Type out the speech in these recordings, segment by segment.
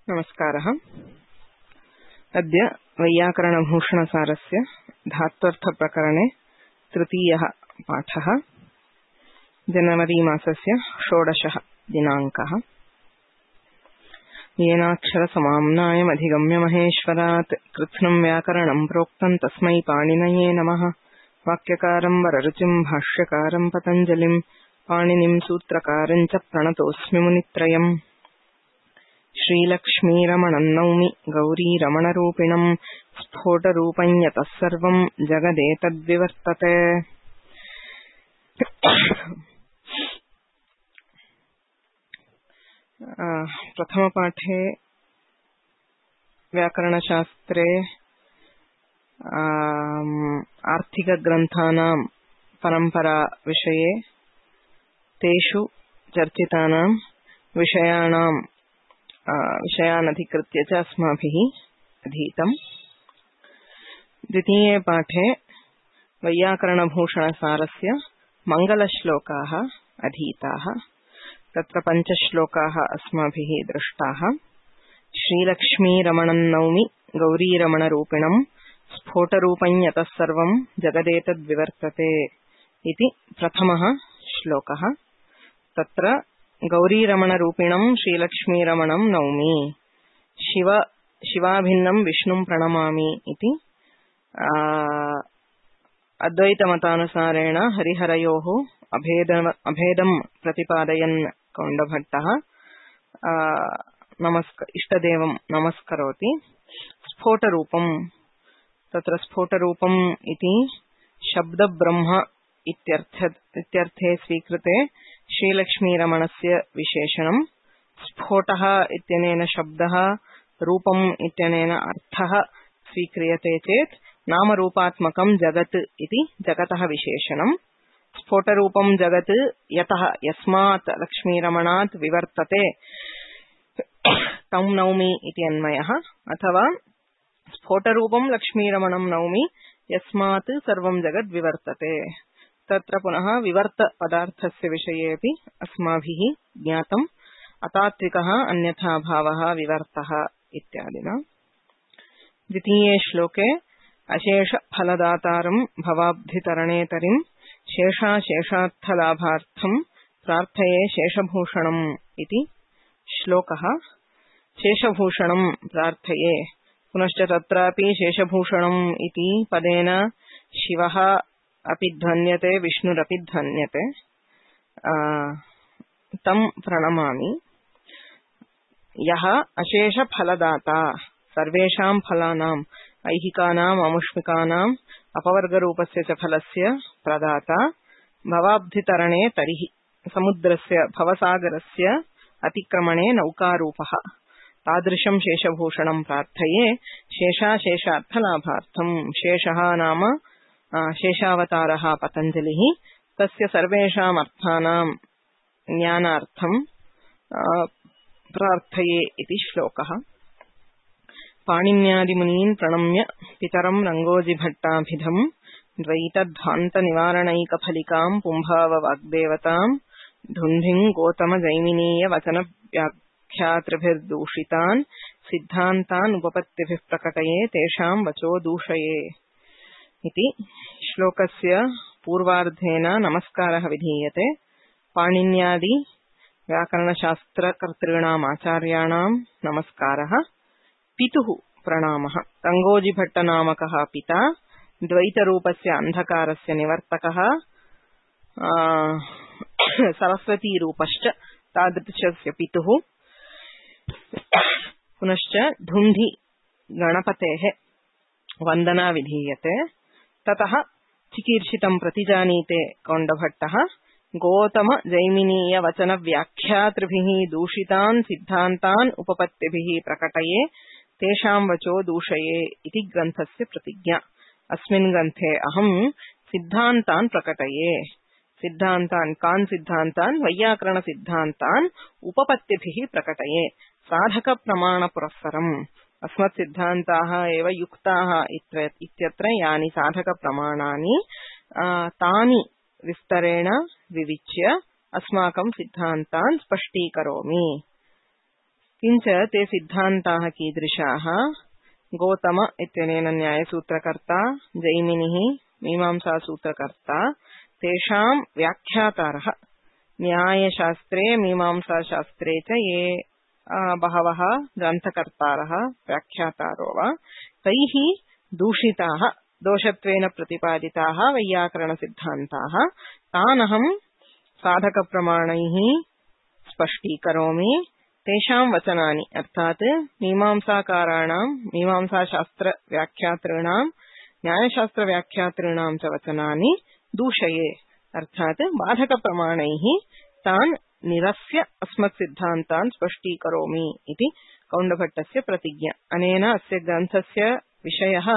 नमस्कारः। अद्य वैयाकरणभूषणसारस्य धात्वर्थप्रकरणे तृतीयः पाठः। जनवरी मासस्य 16 दिनाङ्कः। येनाक्षरसमाम्नायमधिगम्य महेश्वरात् कृत्स्नं व्याकरणं प्रोक्तं तस्मै पाणिनये नमः। वाक्यकारं वररुचिं भाष्यकारं पतञ्जलिं पाणिनिं सूत्रकारं च प्रणतोऽस्मि मुनित्रयम्। श्रीलक्ष्मीरमणं नौमि गौरीरमणरूपिणं स्फोटरूपं यतः सर्वं जगदेतद्विवर्तते। प्रथमपाठे व्याकरणशास्त्रे आर्थिकग्रन्थानां परम्परा विषये तेषु चर्चितानां विषयान् अधिकृत्य च अस्माभिः अधीतम्। द्वितीये पाठे वैयाकरणभूषणसारस्य मङ्गलश्लोकाः अधीताः। तत्र 5 श्लोकाः अस्माभिः दृष्टाः। श्रीलक्ष्मीरमणं नौमि गौरीरमणरूपिणं स्फोटरूपं यतः सर्वं जगदेतद्विवर्तते इति प्रथमः श्लोकः। तत्र गौरीरमणरूपिणं श्रीलक्ष्मीरमणं नौमि, शिवाभिन्नं विष्णुं प्रणमामि इति अद्वैतमतानुसारेण हरिहरयोः अभेदं प्रतिपादयन् कौण्डभट्टः इष्टदेवं नमस्करोति। स्फोटरूपं, तत्र स्फोटरूपम् इति शब्दब्रह्म इत्यर्थे स्वीकृते श्रीलक्ष्मीरमणस्य विशेषणं। स्फोटः इत्यनेन शब्दः, रूपम् इत्यनेन अर्थः स्वीक्रियते चेत् नामरूपात्मकं जगत् इति जगतः विशेषणं। स्फोटरूपं जगत् यतः यस्मात् लक्ष्मीरमणात् विवर्तते तं नौमि इति अन्वयः, अथवा स्फोटरूपं लक्ष्मीरमणं नौमि यस्मात् सर्वं जगद् विवर्तते। तत्र पुनः विवर्त पदार्थस्य विषयेऽपि अस्माभिः ज्ञातम्। अतात्विकः अन्यथा भावः विवर्तः इत्यादिना। द्वितीये श्लोके अशेषफलदातारं भवाब्धितरणे तरिं शेषाशेषार्थलाभार्थं प्रार्थये शेषभूषणम् इति श्लोकः। शेषभूषणं प्रार्थये, पुनश्च तत्रापि शेषभूषणम् इति पदेन शिवः अपि ध्वन्यते, विष्णुरपि ध्वन्यते। तं प्रणमामि। यः अशेषफलदाता, सर्वेषां फलानाम्, ऐहिकानाम् अमुष्मिकानाम् अपवर्गरूपस्य च फलस्य प्रदाता, भवाब्धितरणे तरिः, समुद्रस्य भवसागरस्य अतिक्रमणे नौकारूपः, तादृशं शेषभूषणं प्रार्थये शेषाशेषार्थलाभार्थं। शेषः नाम शेषावतारः पतञ्जलिः, तस्य सर्वेषाम् अर्थानां ज्ञानार्थं प्रार्थये इति श्लोकः। पाणिन्यादिमुनीन् प्रणम्य पितरं रङ्गोजिभट्टाभिधं द्वैतध्वान्तनिवारणैकफलिकां पुंभाववाग्देवतां धुन्धिं गौतमजैमिनीय वचनव्याख्यातृभिर्दूषितान् सिद्धान्तान् उपपत्तिभिः प्रकटये तेषां वचो दूषये इति श्लोकस्य पूर्वार्धेन नमस्कारः विधीयते। पाणिन्यादि व्याकरणशास्त्रकर्तॄणाम् आचार्याणां नमस्कारः। पितुः प्रणामः। रङ्गोजिभट्टनामकः पिता, द्वैतरूपस्य अन्धकारस्य निवर्तकः, सरस्वतीरूपश्च तादृशस्य पितुः। पुनश्च धुन्धि गणपतेः वन्दना विधीयते। ततः चिकीर्षितं प्रतिजानीते कौण्डभट्टः गौतम जैमिनीय वचन व्याख्यातृभिः दूषितान् सिद्धान्तान् उपपत्तिभिः प्रकटये तेषां वचो दूषये इति ग्रन्थस्य प्रतिज्ञा। अस्मिन् ग्रन्थे अहं सिद्धान्तान् प्रकटये। सिद्धान्तान्, कान् सिद्धान्तान्? वैयाकरण सिद्धान्तान् उपपत्तिभिः प्रकटये, साधक प्रमाण पुरस्सरम्। अस्मत् सिद्धान्ताः एव युक्ताः इत्यत्र यानि साधक प्रमाणानि तानि विस्तरेण विविच्य अस्माकं सिद्धान्तान् स्पष्टीकरोमि किञ्च ते सिद्धान्ताः कीदृशाः गौतम इत्यनेन न्यायसूत्रकर्ता जैमिनिः मीमांसासूत्रकर्ता तेषां व्याख्यातारः न्यायशास्त्रे मीमांसाशास्त्रे च ये बहवः ग्रन्थकर्तारः व्याख्यातारो वा तैः दूषिताः दोषत्वेन प्रतिपादिताः वैयाकरणसिद्धान्ताः तानहं साधकप्रमाणैः स्पष्टीकरोमि तेषां वचनानि अर्थात् मीमांसाकाराणां मीमांसाशास्त्रव्याख्यातॄणां न्यायशास्त्रव्याख्यातॄणां च वचनानि दूषये अर्थात् बाधकप्रमाणैः तान् निरस्य अस्मत्सिद्धान्तान् स्पष्टीकरोमि इति कौण्डभट्टस्य प्रतिज्ञा। अनेन अस्य ग्रन्थस्य विषयः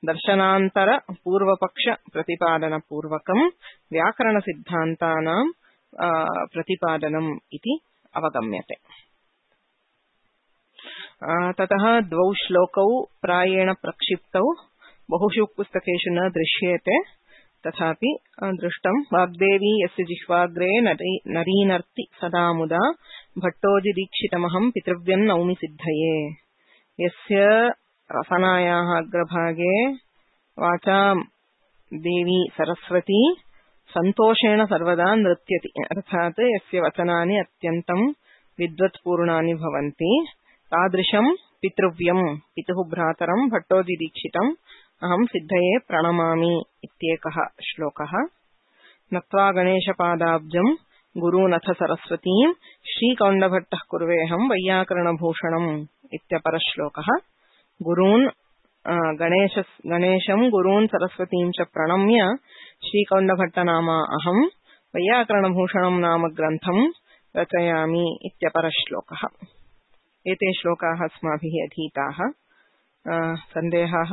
दर्शनान्तर पूर्वपक्ष प्रतिपादनपूर्वकं व्याकरणसिद्धान्तानां प्रतिपादनम् इति अवगम्यते। ततः द्वौ श्लोकौ प्रायेण प्रक्षिप्तौ बहुषु पुस्तकेषु न दृश्येते तथापि दृष्टं वाग्देवी यस्य जिह्वाग्रे नरीनर्ति सदा मुदा भट्टोजिदीक्षितमहं पितृव्यं नौमि सिद्धये यस्य रसनायाः अग्रभागे वाचां देवी सरस्वती संतोषेण सर्वदा नृत्यति अर्थात् यस्य वचनानि अत्यन्तं विद्वत्पूर्णानि भवन्ति तादृशं पितृव्यं पितुः भ्रातरं भट्टोजिदीक्षितम् अहं सिद्धये प्रणमामि इत्येकः श्लोकः। नत्वा गणेशपादाब्जं गुरूनथ सरस्वतीं श्रीकौण्डभट्टः कुर्वेऽहं वैयाकरणभूषणम् इत्यपरश्लोकः। गुरून् गणेशं गुरून् सरस्वतीं च प्रणम्य श्रीकौण्डभट्टनामा अहं वैयाकरणभूषणं नाम ग्रन्थं रचयामि इत्यपरश्लोकः। एते श्लोकाः अस्माभिः अधीताः। सन्देहाः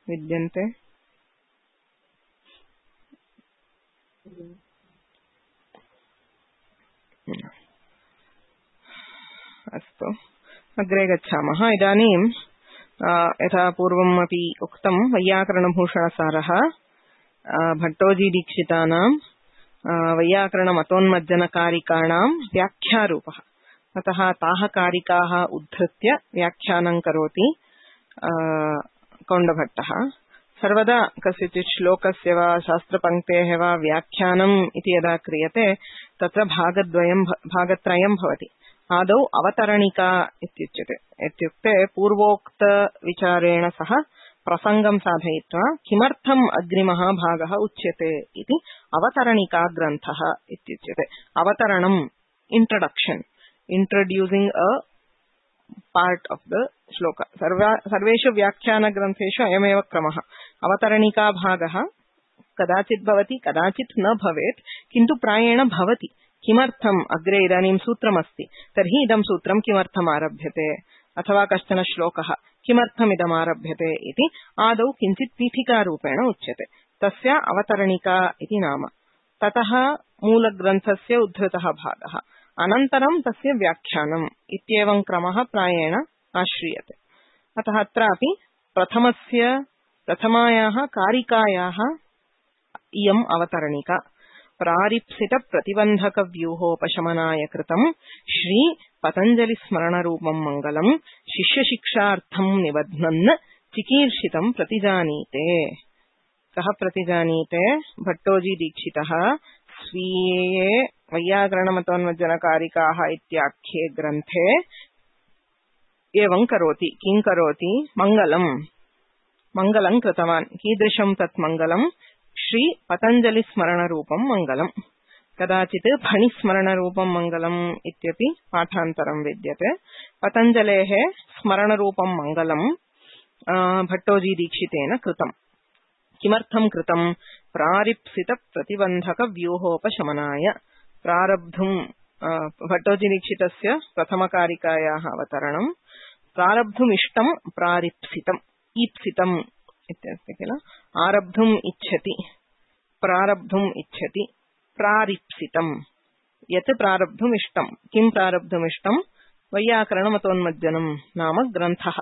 विद्यन्ते? अस्तु, अग्रे गच्छामः। इदानीं यथा पूर्वमपि उक्तं वैयाकरणभूषणसारः भट्टोजीदीक्षितानां वैयाकरणमतोन्मज्जनकारिकाणां व्याख्यारूपः। अतः ताः कारिकाः उद्धृत्य व्याख्यानं करोति कौण्डभट्टः। सर्वदा कस्यचित् श्लोकस्य वा शास्त्रपङ्क्तेः वा व्याख्यानम् इति यदा क्रियते तत्र भागत्रयं भवति। आदौ अवतरणिका इत्युच्यते। इत्युक्ते पूर्वोक्तविचारेण सह प्रसङ्गं साधयित्वा किमर्थम् अग्रिमः भागः उच्यते इति अवतरणिका ग्रन्थः इत्युच्यते। अवतरणम् introduction, introducing a part of the shloka. सर्वेषु व्याख्यानग्रन्थेषु अयमेव क्रमः। अवतरणिका भागः कदाचित् भवति कदाचित् न भवेत्, किन्तु प्रायेण भवति। किमर्थम् अग्रे इदानीं सूत्रमस्ति तर्हि इदं सूत्रं किमर्थम् आरभ्यते अथवा कश्चन श्लोकः किमर्थम् इदम् आरभ्यते इति आदौ किञ्चित् पीठिकारूपेण उच्यते। तस्य अवतरणिका इति नाम। ततः मूलग्रन्थस्य उद्धृतः भागः, अनन्तरं तस्य व्याख्यानम् इत्येवं क्रमः प्रायेण आश्रीयते। अतः अत्रापि प्रथमायाः कारिकायाः इयम् अवतरणिका। प्रारिप्सित प्रतिबन्धक व्यूहोपशमनाय कृतं श्री पतञ्जलि स्मरणरूपं मङ्गलं शिष्यशिक्षार्थं निबध्नन् चिकीर्षितं प्रतिजानीते। कः प्रतिजानीते? भट्टोजी दीक्षितः स्वीये वैयाकरणमतोन्मज्जनकारिकाः इत्याख्ये ग्रन्थे एवं करोति। किं करोति? मङ्गलं कृतवान्। कीदृशं तत् मङ्गलं? श्री पतञ्जलि स्मरणरूपं मङ्गलं। कदाचित् फणिस्मरणरूपं मङ्गलम् इत्यपि पाठान्तरं विद्यते। पतञ्जलेः स्मरणरूपं मङ्गलं भट्टोजी दीक्षितेन कृतम्। किमर्थं कृतम्? प्रारिप्सित प्रतिबन्धक व्यूहोपशमनाय। प्रारब्धुम् भट्टोजी दीक्षितस्य प्रथमकारिकायाः अवतरणं। प्रारब्धुमिष्टं प्रारिप्सितम् ईप्सितम् इत्यस्ति किल। आरब्धुम् इच्छति, प्रारब्धुम् इच्छति, प्रारिप्सितम्। यत् प्रारब्धुमिष्टं। किं प्रारब्धुमिष्टं? वैयाकरणमतोन्मज्जनं नाम ग्रन्थः।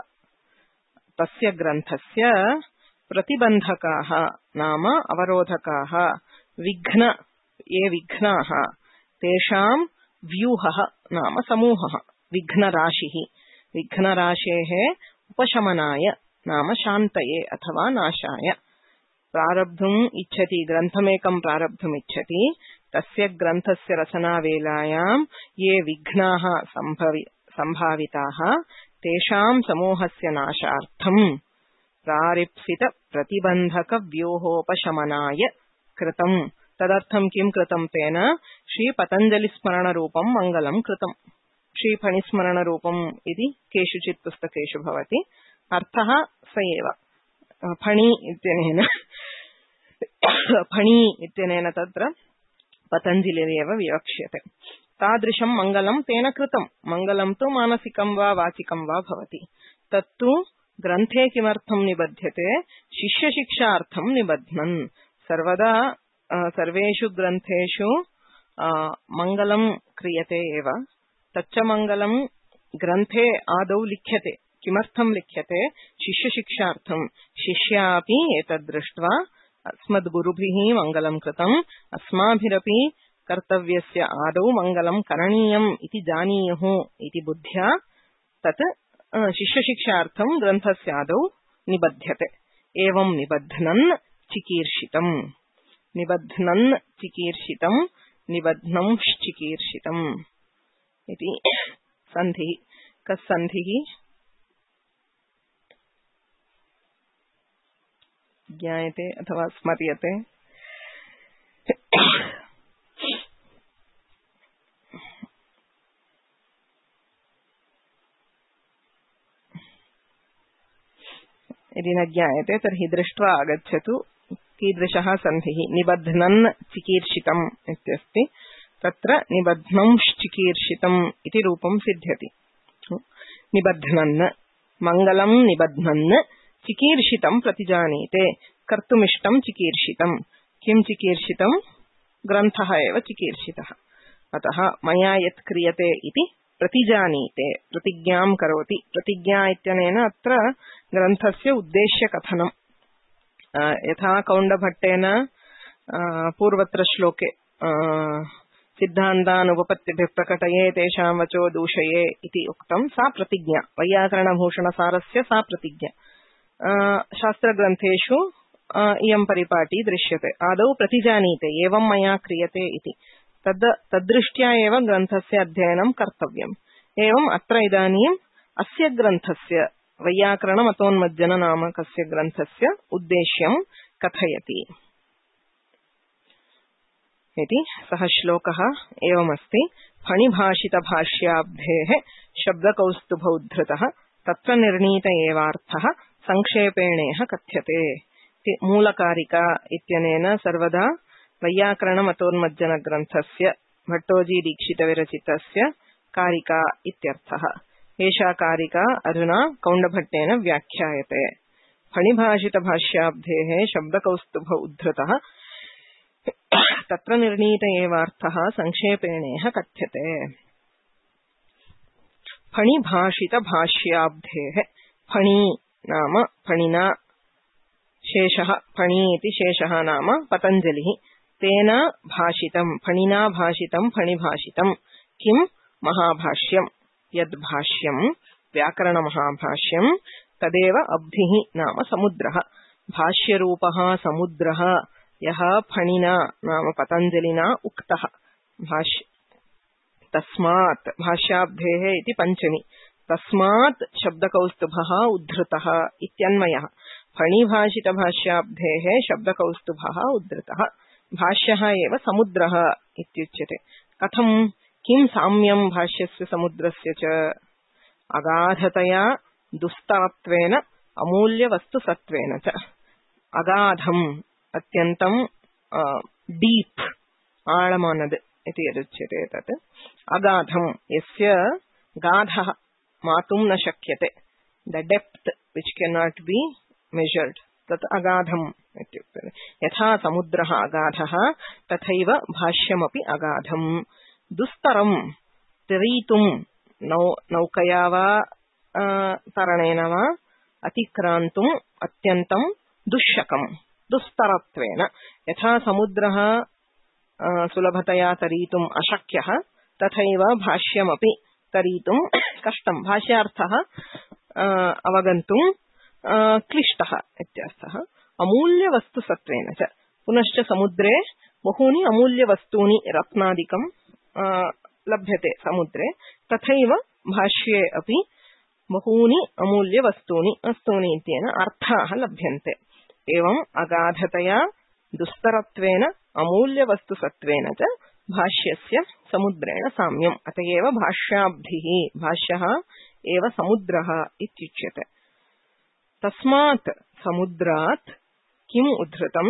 तस्य ग्रन्थस्य प्रतिबन्धकाः नाम अवरोधकाः, ये विघ्नाः, तेषां व्यूहः नाम समूहः। विघ्नराशिः विघ्नराशेः उपशमनाय नाम शान्तये अथवा नाशाय प्रारब्धुम् इच्छति ग्रन्थमेकं प्रारब्धुम् इच्छति तस्य ग्रन्थस्य रचनावेलायां ये विघ्नाः सम्भाविताः तेषां समूहस्य नाशार्थं प्रारिप्सित प्रतिबन्धक व्यूहोपशमनाय कृतम् तदर्थं किं कृतं तेन श्री पतञ्जलि स्मरण रूपं मङ्गलं कृतम् श्री फणि स्मरण रूपम् इति केषुचित् पुस्तकेषु भवति अर्थः स एव फणि इत्यनेन तत्र पतञ्जलिरेव विवक्ष्यते तादृशं मङ्गलं तेन कृतं मङ्गलं तु मानसिकं वा वाचिकं वा भवति तत्तु ग्रन्थे किमर्थं निबध्यते शिष्यशिक्षार्थं निबध्नन् सर्वदा सर्वेषु ग्रन्थेषु मङ्गलं क्रियते एव तच्च मङ्गलं ग्रन्थे आदौ लिख्यते किमर्थं लिख्यते शिष्यशिक्षार्थं शिष्यापि एतद् दृष्ट्वा अस्मद्गुरुभिः मङ्गलं कृतम् अस्माभिरपि कर्तव्यस्य आदौ मङ्गलं करणीयम् इति जानीयुः इति बुद्ध्या तत् शिष्यशिक्षार्थं ग्रन्थस्य आदौ निबध्यते एवं निबध्नन् चिकीर्षितम् निबध्नंश्चिकीर्षितम् इति सन्धिः कस् सन्धिः ज्ञायते अथवा स्मर्यते यदि न ज्ञायते तर्हि दृष्ट्वा आगच्छतु कीदृशः सन्धिः निबध्नन् चिकीर्षितम् इत्यस्ति तत्र निबध्नंश्चिकीर्षितम् इति रूपं सिद्ध्यति निबध्नन् मङ्गलं निबध्नन् चिकीर्षितं प्रतिजानीते कर्तुमिष्टं चिकीर्षितं किं चिकीर्षितं ग्रन्थः एव चिकीर्षितः अतः मया यत् क्रियते इति प्रतिजानीते प्रतिज्ञां करोति प्रतिज्ञा इत्यनेन अत्र ग्रन्थस्य उद्देश्यकथनं यथा कौण्डभट्टेन पूर्वत्र श्लोके सिद्धान्तानुपपत्तिभिः प्रकटये तेषां वचो दूषये इति उक्तं सा प्रतिज्ञा वैयाकरणभूषणसारस्य सा प्रतिज्ञा शास्त्रग्रन्थेषु इयं परिपाटी दृश्यते आदौ प्रतिजानीते एवं मया क्रियते इति तद्दृष्ट्या एव ग्रन्थस्य अध्ययनं कर्तव्यम् एवम् अत्र इदानीम् अस्य ग्रन्थस्य वैयाकरणमतोन्मज्जन नामकस्य ग्रन्थस्य उद्देश्यं कथयति इति सः श्लोकः एवमस्ति फणिभाषितभाष्याब्धेः शब्दकौस्तुभोद्धृतः तत्र निर्णीत एवार्थः संक्षेपेणेह कथ्यते मूलकारिका इत्यनेन सर्वदा वैयाकरणमतोन्मज्जन ग्रन्थस्य भट्टोजी दीक्षितविरचितस्य कारिका इत्यर्थः एषा कारिका अधुना कौण्डभट्टेन व्याख्यायते फणिभाषितभाष्याब्धेः शब्दकौस्तुभ उद्धृतः तत्र निर्णीत एवार्थः संक्षेपेणेह कथ्यते फणिभाषितभाष्याब्धेः फणि नाम फणिना शेषः फणि इति शेषः नाम पतञ्जलिः तेन भाषितं फणिना भाषितं फणिभाषितं किं महाभाष्यं यद्भाष्यं व्याकरणमहाभाष्यं तदेव अब्धिः नाम समुद्रः भाष्यरूपः समुद्रः यः फणिना नाम पतञ्जलिना उक्तः तस्मात् भाष्याब्धेः इति पञ्चमी तस्मात् शब्दकौस्तुभः उद्धृतः इत्यन्वयः फणिभाषितभाष्याब्धेः शब्दकौस्तुभः उद्धृतः भाष्यः एव समुद्रः इत्युच्यते कथं किं साम्यं भाष्यस्य समुद्रस्य च अगाधतया दुस्तरत्वेन अमूल्यवस्तुसत्त्वेन च अगाधम् अत्यन्तं डीप् आळमानद् इति यदुच्यते तत् अगाधं यस्य गाधः मातुं न शक्यते the depth which can not be measured तत् अगाधम् इत्युक्ते यथा समुद्रः अगाधः तथैव भाष्यमपि अगाधम् दुस्तरं तरीतुं नौकया वा तरणेन वा अतिक्रान्तुम् अत्यन्तं दुष्शकम् दुस्तरत्वेन यथा समुद्रः सुलभतया तरीतुम् अशक्यः तथैव भाष्यमपि तरीतुम् कष्टं भाष्यार्थः अवगन्तुं क्लिष्टः इत्यर्थः। अमूल्यवस्तुसत्त्वेन च पुनश्च समुद्रे बहूनि अमूल्यवस्तूनि रत्नादिकं लभ्यते समुद्रे, तथैव भाष्ये अपि बहूनि अमूल्यवस्तूनि इत्येन अर्थाः लभ्यन्ते। एवम् अगाधतया दुस्तरत्वेन अमूल्यवस्तुसत्त्वेन च भाष्यस्य समुद्रेण साम्यम्। अत एव भाष्याब्धिः भाष्यः एव समुद्रः इत्युच्यते। तस्मात् समुद्रात् किम् उद्धृतं?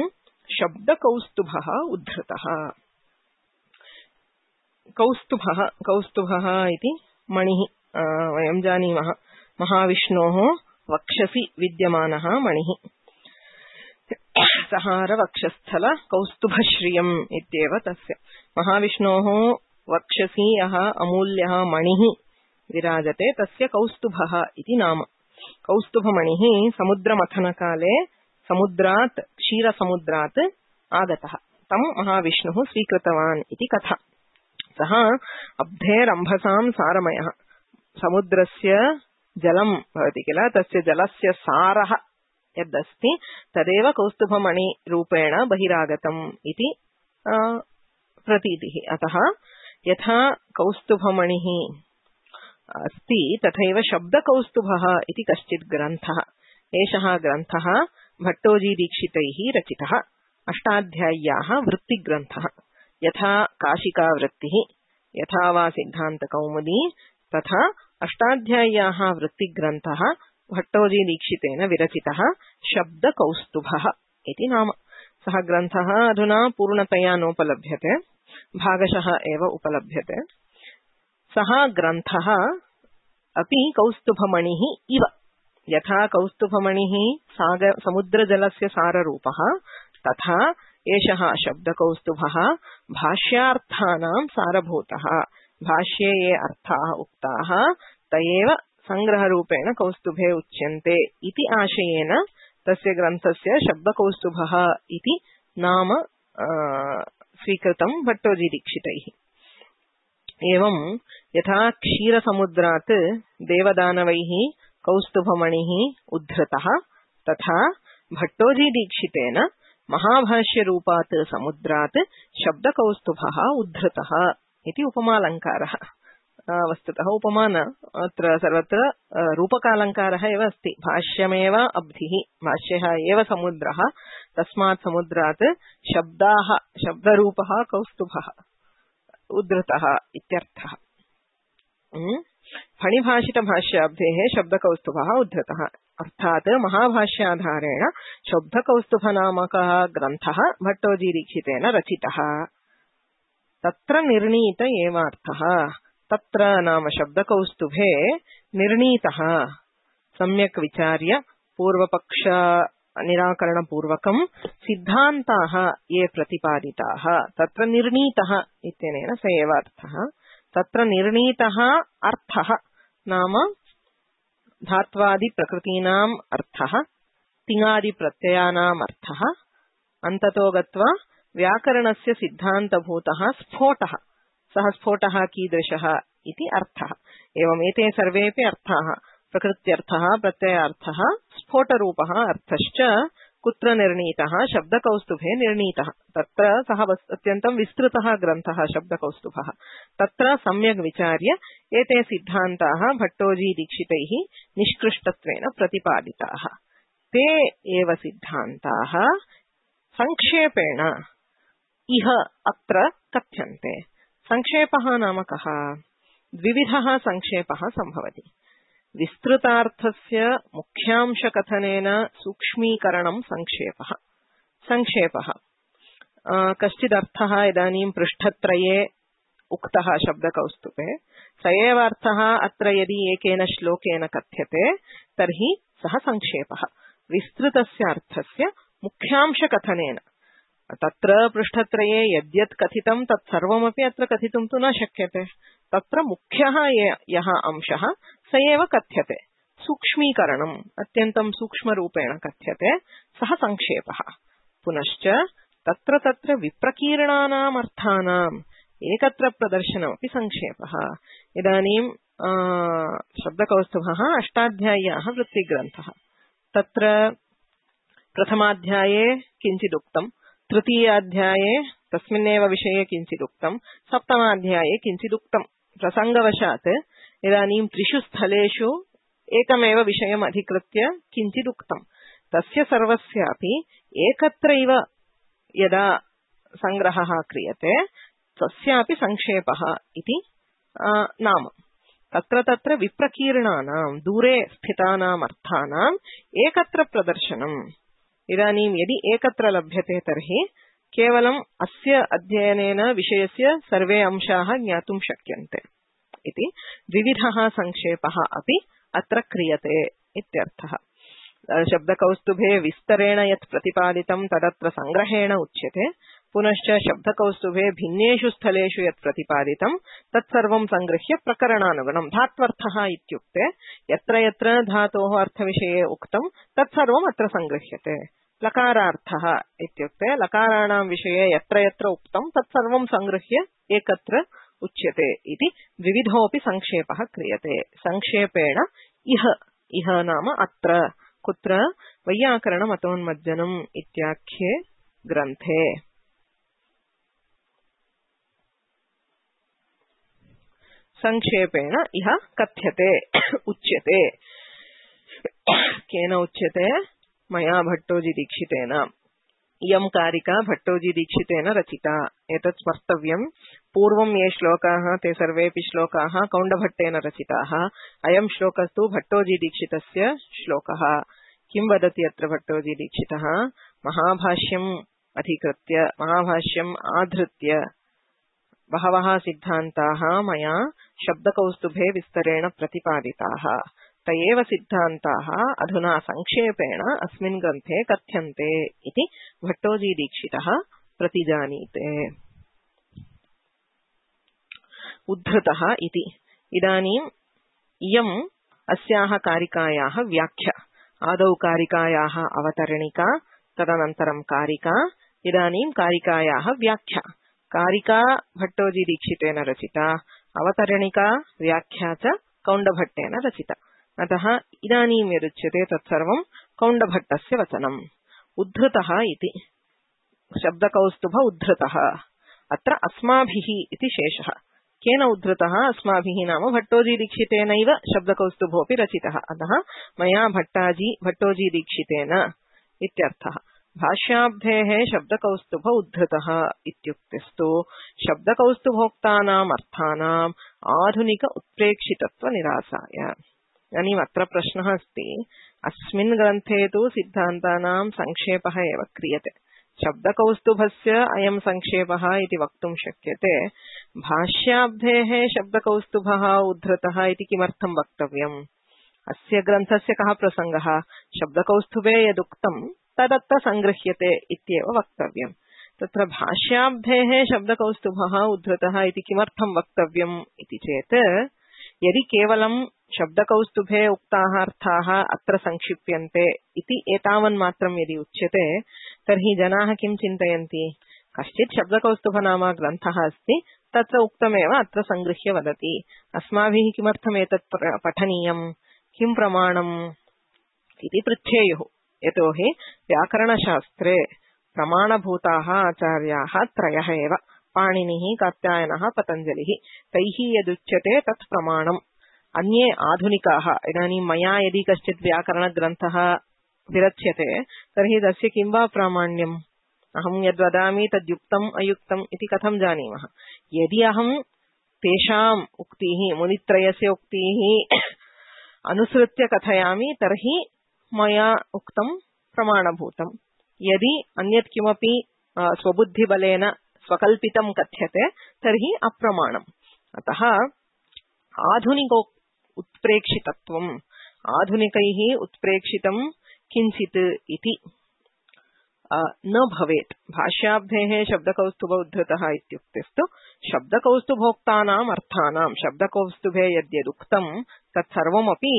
शब्दकौस्तुभः उद्धृतः। कौस्तुभः इति मणिः, वयं जानीमः, महाविष्णोः वक्षसि विद्यमानः मणिः। सहारवक्षस्थल कौस्तुभश्रियम् इत्येव तस्य। महाविष्णोः वक्षसि यः अमूल्यः मणिः विराजते तस्य कौस्तुभः इति नाम। कौस्तुभमणिः समुद्रमथनकाले समुद्रात्, क्षीरसमुद्रात् आगतः, तं महाविष्णुः स्वीकृतवान् इति कथा। सः अब्धेरम्भसां सारमयः। समुद्रस्य जलं भवति किल, तस्य जलस्य सारः यदस्ति तदेव कौस्तुभमणिरूपेण बहिरागतम् इति प्रतीतिः। अतः यथा कौस्तुभमणिः अस्ति तथैव शब्दकौस्तुभः इति कश्चित् ग्रन्थः। एषः ग्रन्थः भट्टोजीदीक्षितैः रचितः अष्टाध्याय्याः वृत्तिग्रन्थः। यथा काशिकावृत्तिः, यथा वा सिद्धान्तकौमुदी, तथा अष्टाध्याय्याः वृत्तिग्रन्थः भट्टोजीदीक्षितेन विरचितः शब्दकौस्तुभः इति नाम। सः ग्रन्थः अधुना पूर्णतया नोपलभ्यते, भागशः एव उपलभ्यते। सः ग्रन्थः अपि कौस्तुभमणिः इव, यथा कौस्तुभमणिः समुद्रजलस्य साररूपः, तथा एषः शब्दकौस्तुभः भाष्यार्थानां सारभूतः। भाष्ये ये अर्थाः उक्ताः तयेव संग्रहरूपेण कौस्तुभे उच्यन्ते इति आशयेन तस्य ग्रन्थस्य शब्दकौस्तुभः इति नाम स्वीकृतं भट्टोजीदीक्षितैः। एवं यथा क्षीरसमुद्रात् देवदानवैः कौस्तुभमणिः उद्धृतः, तथा भट्टोजीदीक्षितेन महाभाष्यरूपात् समुद्रात् शब्दकौस्तुभः उद्धृतः इति उपमालङ्कारः। वस्तुतः उपमान अत्र सर्वत्र रूपकालङ्कारः एव अस्ति। भाष्यमेव अब्धिः, भाष्यः एव समुद्रः, तस्मात् समुद्रात् शब्दरूपः कौस्तुभः उद्धृतः इत्यर्थः। फणिभाषितभाष्याब्धेः शब्दकौस्तुभः उद्धृतः, अर्थात् महाभाष्याधारेण शब्दकौस्तुभनामकः ग्रन्थः भट्टोजीदीक्षितेन रचितः। तत्र निर्णीत एवार्थः। तत्र नाम शब्दकौस्तुभे निर्णीतः, सम्यक् विचार्य पूर्वपक्ष निराकरणपूर्वकं सिद्धान्ताः ये प्रतिपादिताः, तत्र निर्णीतः इत्यनेन स एव अर्थः। तत्र निर्णीतः अर्थः नाम धात्वादिप्रकृतीनाम् अर्थः, तिङादिप्रत्ययानाम् अर्थः, अन्ततो गत्वा व्याकरणस्य सिद्धान्तभूतः स्फोटः। सः स्फोटः कीदृशः इति अर्थः। एवम् एते सर्वेपि अर्थाः, प्रकृत्यर्थः, प्रत्ययार्थः, स्फोटरूपः अर्थश्च कुत्र निर्णीतः? शब्दकौस्तुभे निर्णीतः। तत्र सः अत्यन्तं विस्तृतः ग्रन्थः शब्दकौस्तुभः। तत्र सम्यक् विचार्य एते सिद्धान्ताः भट्टोजीदीक्षितैः निष्कृष्टत्वेन प्रतिपादिताः। ते एव सिद्धान्ताः संक्षेपेण इह अत्र कथ्यन्ते। संक्षेपः नाम कः? द्विविधः संक्षेपः सम्भवति। विस्तृतार्थस्य मुख्यांशकथनेन सूक्ष्मीकरणं संक्षेपः। कश्चिदर्थः इदानीं पृष्ठत्रये उक्तः शब्दकौस्तुभे, स एव अर्थः अत्र यदि एकेन श्लोकेन कथ्यते तर्हि सः संक्षेपः। विस्तृतस्य अर्थस्य मुख्यांशकथनेन, तत्र पृष्ठत्रये यद्यत् कथितं तत्सर्वमपि अत्र कथितुं तु न शक्यते। तत्र मुख्यः यः अंशः स एव कथ्यते। सूक्ष्मीकरणम् अत्यन्तं सूक्ष्मरूपेण कथ्यते, सः संक्षेपः। पुनश्च तत्र विप्रकीर्णानाम् अर्थानाम् एकत्र प्रदर्शनमपि संक्षेपः। इदानीं शब्दकौस्तुभः अष्टाध्याय्याः वृत्तिग्रन्थः। तत्र प्रथमाध्याये किञ्चिदुक्तम्, तृतीयाध्याये तस्मिन्नेव विषये किञ्चिदुक्तम्, सप्तमाध्याये किञ्चिदुक्तम्। प्रसङ्गवशात् इदानीं त्रिषु स्थलेषु एकमेव विषयम् अधिकृत्य किञ्चिदुक्तम्। तस्य सर्वस्यापि एकत्रैव यदा सङ्ग्रहः क्रियते तस्यापि संक्षेपः इति नाम। तत्र विप्रकीर्णानां दूरे स्थितानाम् अर्थानाम् एकत्र प्रदर्शनम्। इदानीं यदि एकत्र लभ्यते तर्हि केवलम् अस्य अध्ययनेन विषयस्य सर्वे अंशाः ज्ञातुं शक्यन्ते इति। द्विविधः संक्षेपः अपि अत्र क्रियते इत्यर्थः। शब्दकौस्तुभे विस्तरेण यत् प्रतिपादितं तदत्र संग्रहेण उच्यते। पुनश्च शब्दकौस्तुभे भिन्नेषु स्थलेषु यत् प्रतिपादितं तत्सर्वं संगृह्य प्रकरणानुगुणं धात्वर्थः इत्युक्ते यत्र यत्र धातोः अर्थविषये उक्तं तत्सर्वम् अत्र संगृह्यते। लकारार्थः इत्युक्ते लकाराणां विषये यत्र यत्र उक्तं तत्सर्वं संगृह्य एकत्र उच्यते इति द्विविधोऽपि संक्षेपः क्रियते। संक्षेपेण इह नाम अत्र कुत्र वैयाकरणमतोन्मज्जनम् इत्याख्ये ग्रन्थे। संक्षेपेण इह कथ्यते उच्यते। केन उच्यते? मया भट्टोजीदीक्षितेन। इयं कारिका भट्टोजीदीक्षितेन रचिता। एतत् स्मर्तव्यम्। पूर्वं ये श्लोकाः ते सर्वेऽपि श्लोकाः कौण्डभट्टेन रचिताः। अयं श्लोकस्तु भट्टोजीदीक्षितस्य श्लोकः। किं वदति अत्र भट्टोजीदीक्षितः? महाभाष्यम् अधिकृत्य, महाभाष्यम् आधृत्य बहवः सिद्धान्ताः मया शब्दकौस्तुभे विस्तरेण प्रतिपादिताः। त एव सिद्धान्ताः अधुना संक्षेपेण अस्मिन् ग्रन्थे कथ्यन्ते इति भट्टोजीदीक्षितः प्रतिजानीते। उद्धृतः इति। इदानीम् इयम् अस्याः कारिकायाः व्याख्या। आदौ कारिकायाः अवतरणिका, तदनन्तरं कारिका, इदानीं कारिकायाः व्याख्या। कारिका भट्टोजीदीक्षितेन रचिता, अवतरणिका व्याख्या च कौण्डभट्टेन रचिता। अतः इदानीं यदुच्यते तत्सर्वं कौण्डभट्टस्य वचनम्। उद्धृतः इति। शब्दकौस्तुभ उद्धृतः। अत्र अस्माभिः इति शेषः। केन उद्धृतः? अस्माभिः नाम भट्टोजीदीक्षितेनैव शब्दकौस्तुभोऽपि रचितः। अतः मया भट्टोजीदीक्षितेन इत्यर्थः। भाष्याब्धेः शब्दकौस्तुभ उद्धृतः इत्युक्तेस्तु शब्दकौस्तुभोक्तानाम् अर्थानाम् आधुनिक उत्प्रेक्षितत्व निरासाय। इदानीम् अत्र प्रश्नः अस्ति, अस्मिन् ग्रन्थे तु सिद्धान्तानां संक्षेपः एव क्रियते। शब्दकौस्तुभस्य अयं संक्षेपः इति वक्तुं शक्यते। भाष्याब्धेः शब्दकौस्तुभः उद्धृतः इति किमर्थं वक्तव्यम्? अस्य ग्रन्थस्य कः प्रसङ्गः? शब्दकौस्तुभे यदुक्तं तदत्र संगृह्यते इत्येव वक्तव्यम्। तत्र भाष्याब्धेः शब्दकौस्तुभः उद्धृतः इति किमर्थं वक्तव्यम् इति चेत्, यदि केवलं शब्दकौस्तुभे उक्ताः अर्थाः अत्र संक्षिप्यन्ते इति एतावन्मात्रं यदि उच्यते तर्हि जनाः किं चिन्तयन्ति? कश्चित् शब्दकौस्तुभ नाम ग्रन्थः अस्ति, तत्र उक्तमेव अत्र संगृह्य वदति। अस्माभिः किमर्थम् एतत् पठनीयम्? किं प्रमाणम् इति पृच्छेयुः। यतोहि व्याकरणशास्त्रे प्रमाणभूताः आचार्याः त्रयः एव, पाणिनिः, कात्यायनः, पतञ्जलिः। तैः यदुच्यते तत् प्रमाणम्। अन्ये आधुनिकाः, इदानीं मया यदि कश्चित् व्याकरणग्रन्थः विरच्यते तर्हि तस्य किं वा प्रामाण्यम्? अहं यद्वदामि तद्युक्तम् अयुक्तम् इति कथं जानीमः? यदि अहं तेषाम् उक्तिः, मुनित्रयस्य उक्तिः अनुसृत्य कथयामि तर्हि मया उक्तं प्रमाणभूतम्। यदि अन्यत् किमपि स्वबुद्धिबलेन स्वकल्पितं कथ्यते तर्हि अप्रमाणम्। अतः आधुनिक उत्प्रेक्षितत्वम्, आधुनिकैः उत्प्रेक्षितं किञ्चित् इति न भवेत्। भाष्याब्धेः शब्दकौस्तुभ उद्धृतः इत्युक्तेस्तु शब्दकौस्तुभोक्तानाम् अर्थानां, शब्दकौस्तुभे यद्यदुक्तं तत्सर्वमपि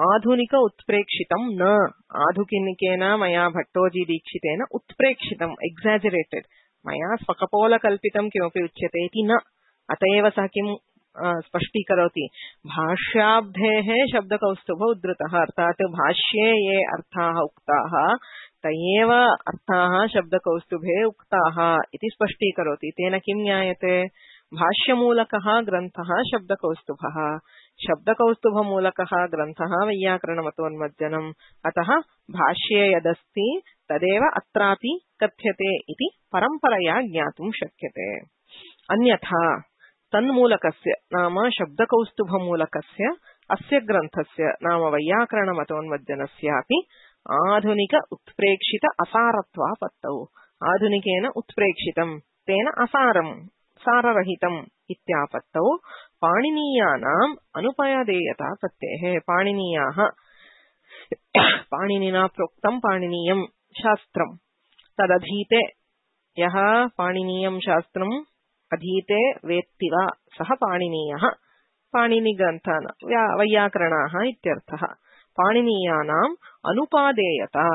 आधुनिक उत्प्रेक्षितं न। आधुनिकेन मया भट्टोजीदीक्षितेन उत्प्रेक्षितम्, एक्साजरेटेड्, मया स्वकपोलकल्पितं किमपि उच्यते इति न। अत एव सः किं स्पष्टीकरोति भाष्याब्धेः शब्दकौस्तुभ उद्धृतः अर्थात भाष्ये ये अर्थाः उक्ताः तयेव अर्थाः शब्दकौस्तुभे उक्ताः इति स्पष्टीकरोति। तेन किं ज्ञायते भाष्यमूलकः ग्रन्थः शब्दकौस्तुभः शब्दकौस्तुभमूलकः ग्रन्थः वैयाकरणमतोन्मज्जनम् अतः भाष्ये यदस्ति तदेव अत्रापि कथ्यते इति परम्परया ज्ञातुं शक्यते। अन्यथा तन्मूलकस्य नाम शब्दकौस्तुभमूलकस्य अस्य ग्रन्थस्य नाम वैयाकरणमतोन्मज्जनस्यापि आधुनिक उत्प्रेक्षित असारत्वापत्तौ आधुनिकेन उत्प्रेक्षितं तेन असारं साररहितम् इत्यापत्तौ पाणिनीयानाम् अनुपयादेयतापत्तेः पाणिनीयाः पाणिनिना प्रोक्तं पाणिनीयं शास्त्रं तदधीते यः पाणिनीयं शास्त्रम् अधीते वेत्ति वा सः पाणिनीयः पाणिनिग्रन्थान् वैयाकरणाः इत्यर्थः। पाणिनीयानाम् अनुपादेयता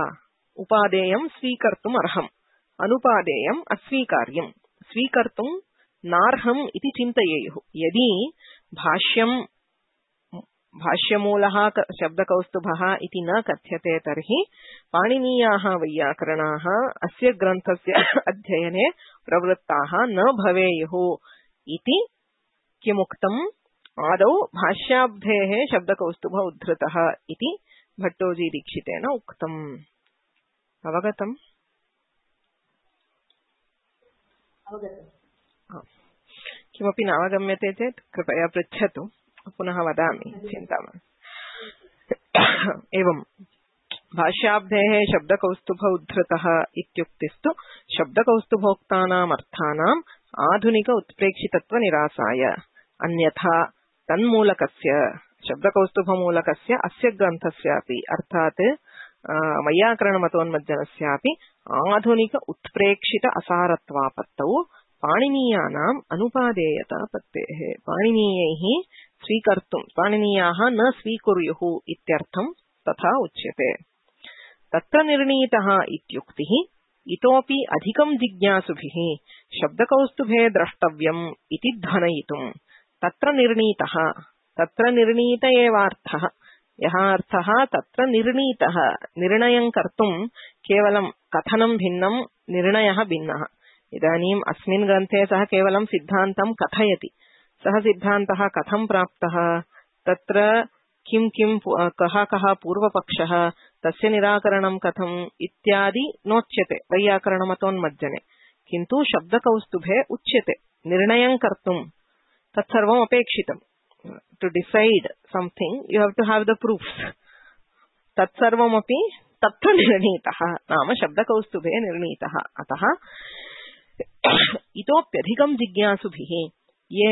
उपादेयं स्वीकर्तुम् अर्हम् अनुपादेयम् अस्वीकार्यम् स्वीकर्तुम् नार्हम् इति चिन्तयेयुः। यदि भाष्यमूलः शब्दकौस्तुभः इति न कथ्यते तर्हि पाणिनीयाः वैयाकरणाः अस्य ग्रन्थस्य अध्ययने प्रवृत्ताः न भवेयुः इति किमुक्तम् आदौ भाष्याब्धेः शब्दकौस्तुभ उद्धृतः इति भट्टोजी दीक्षितेन उक्तम्। अवगतम्? किमपि नावगम्यते चेत् कृपया पृच्छतु पुनः वदामि चिन्ता मास्तु। एवं भाष्याब्धेः शब्दकौस्तुभ उद्धृतः इत्युक्तिस्तु शब्दकौस्तुभोक्तानाम् अर्थानाम् आधुनिक उत्प्रेक्षितत्वनिरासाय अन्यथा तन्मूलकस्य शब्दकौस्तुभमूलकस्य अस्य ग्रन्थस्यापि अर्थात् वैयाकरणमतोन्मज्जनस्यापि आधुनिक उत्प्रेक्षित असारत्वापत्तौ पाणिनीयानाम् अनुपादेयतापत्तेः पाणिनीयैः स्वीकर्तुं पाणिनीयाः न स्वीकुर्युः इत्यर्थं तथा उच्यते। तत्र निर्णीतः इत्युक्तिः इतोपि अधिकं जिज्ञासुभिः शब्दकौस्तुभे द्रष्टव्यम् इति ध्वनयितुं तत्र निर्णीतः तत्र निर्णीत एवार्थः यः अर्थः तत्र निर्णीतः निर्णयं कर्तुं केवलं कथनं भिन्नं निर्णयः भिन्नः। इदानीम् अस्मिन् ग्रन्थे सः केवलं सिद्धान्तं कथयति सः सिद्धान्तः कथं प्राप्तः तत्र किं किं कः पूर्वपक्षः तस्य निराकरणं कथम् इत्यादि नोच्यते वैयाकरणमतोन्मज्जने किन्तु शब्दकौस्तुभे उच्यते निर्णयं कर्तुं तत्सर्वम् अपेक्षितम् to decide something you have to have the proofs तत्सर्वमपि तत्र निर्णीतः नाम शब्दकौस्तुभे निर्णीतः। अतः इतोप्यधिकं जिज्ञासुभिः ये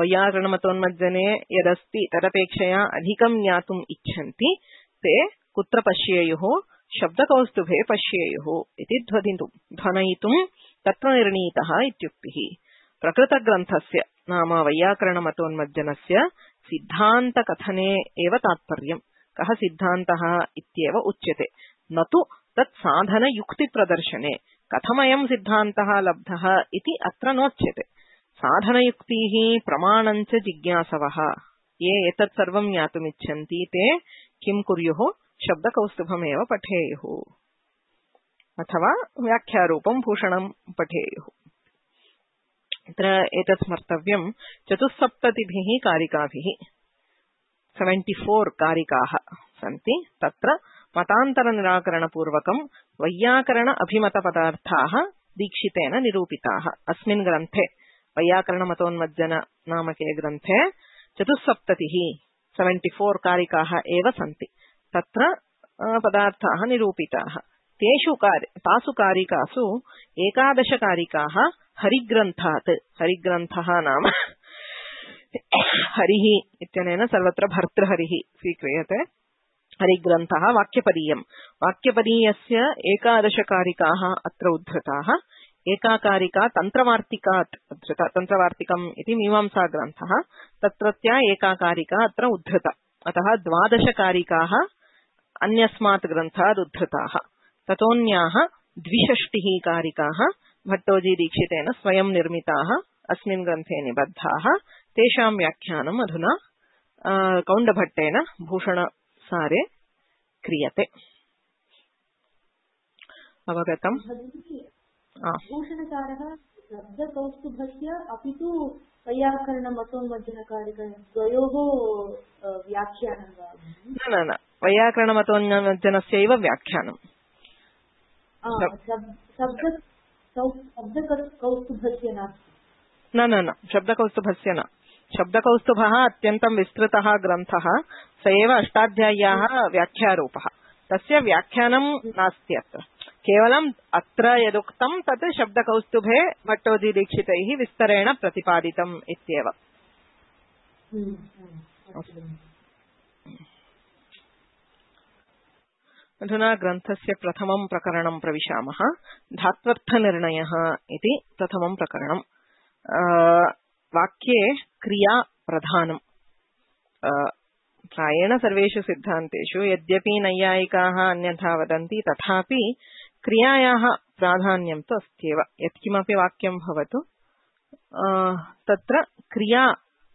वैयाकरणमतोन्मज्जने यदस्ति तदपेक्षया अधिकं ज्ञातुम् इच्छन्ति ते कुत्र पश्येयुः शब्दकौस्तुभे पश्येयुः इति ध्वनयितुं तत्र निर्णीतः इत्युक्तिः। प्रकृतग्रन्थस्य नाम वैयाकरणमतोन्मज्जनस्य सिद्धान्तकथने एव तात्पर्यम् कः सिद्धान्तः इत्येव उच्यते न तु तत् साधनयुक्तिप्रदर्शने कथमयं सिद्धान्तः लब्धः इति अत्र नोच्यते। साधनयुक्तिः प्रमाणञ्च जिज्ञासवः ये एतत् सर्वं ज्ञातुमिच्छन्ति ते किं कुर्युः शब्दकौस्तुभमेव पठेयुः अथवा व्याख्यारूपं भूषणं पठेयुः। अत्र एतत् स्मर्तव्यं 74 कारिकाभिः 74 कारिकाः सन्ति तत्र मतान्तरनिराकरणपूर्वकं वैयाकरण अभिमतपदार्थाः दीक्षितेन निरूपिताः। अस्मिन् ग्रन्थे वैयाकरणमतोन्मज्जन नामके ग्रन्थे 74 कारिकाः एव सन्ति तत्र पदार्थाः निरूपिताः। तासु कारिकासु 11 कारिकाः हरिग्रन्थात् हरिग्रन्थः नाम हरिः इत्यनेन सर्वत्र भर्तृहरिः स्वीक्रियते। हरिग्रन्थः वाक्यपदीयम् वाक्यपदीयस्य 11 कारिकाः अत्र उद्धृताः। एका कारिका तन्त्रवार्तिकात् उद्धृता तन्त्रवार्तिकम् इति मीमांसा ग्रन्थः तत्रत्या एका कारिका अत्र उद्धृता अतः 12 कारिकाः अन्यस्मात् ग्रन्थात् उद्धृताः। ततोऽन्याः 62 कारिकाः भट्टोजी दीक्षितेन स्वयं निर्मिताः अस्मिन् ग्रन्थे निबद्धाः तेषां व्याख्यानम् अधुना कौण्डभट्टेन भूषणसारे क्रियते। अवगतम्? भूषणसारः शब्दकौस्तुभस्य अपि तु वैयाकरणमतोन्मज्जनकारिकद्वयोः व्याख्यानं वा? न, वैयाकरणमतोन्मज्जनस्यैव व्याख्यानम्। शब्दकौस्तुभस्य नास्ति? न, शब्दकौस्तुभस्य न। शब्दकौस्तुभः अत्यन्तं विस्तृतः ग्रन्थः, स एव अष्टाध्याय्याः व्याख्यारूपः। तस्य व्याख्यानं नास्ति अत्र, केवलम् अत्र यदुक्तं तत् शब्दकौस्तुभे भट्टोजीदीक्षितैः विस्तरेण प्रतिपादितम् इत्येव। अधुना ग्रन्थस्य प्रथमं प्रकरणं प्रविशामः। धात्वर्थनिर्णयः इति प्रथमं प्रकरणम्। वाक्ये क्रिया प्रधानम्। प्रायेण सर्वेषु सिद्धान्तेषु यद्यपि नैयायिकाः अन्यथा वदन्ति, तथापि क्रियायाः प्राधान्यं तु अस्त्येव। यत्किमपि वाक्यं भवतु तत्र क्रिया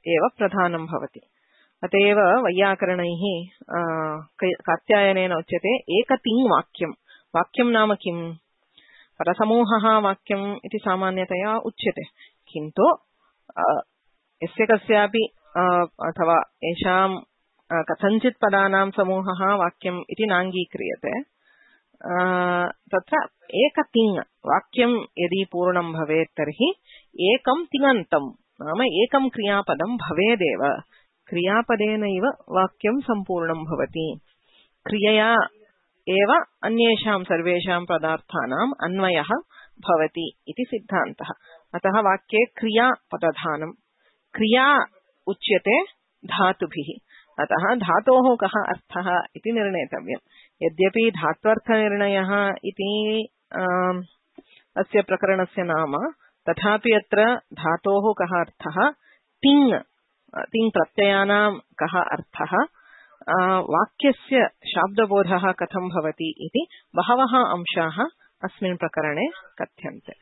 एव प्रधानं भवति। अतएव वैयाकरणैः कात्यायनेन उच्यते एकतिङ् वाक्यं। वाक्यं नाम किम्? पदसमूहः वाक्यम् इति सामान्यतया उच्यते, किन्तु यस्य कस्यापि अथवा येषां कथञ्चित् पदानां समूहः वाक्यम् इति नाङ्गीक्रियते। तत्र एकतिङ् वाक्यं यदि पूर्णं भवेत् तर्हि एकं तिङन्तं नाम एकं क्रियापदं भवेदेव। क्रियापदेनैव वाक्यं सम्पूर्णं भवति। क्रियया एव अन्येषां सर्वेषां पदार्थानाम् अन्वयः भवति इति सिद्धान्तः। अतः वाक्ये क्रिया पदधानं। क्रिया उच्यते धातुभिः, अतः धातोः कः अर्थः इति निर्णेतव्यम्। यद्यपि धात्वर्थनिर्णयः इति अस्य प्रकरणस्य नाम, तथापि अत्र धातोः कः अर्थः, तिङ् प्रत्ययानां कः अर्थः, वाक्यस्य शाब्दबोधः कथं भवति इति बहवः अंशाः अस्मिन् प्रकरणे कथ्यन्ते।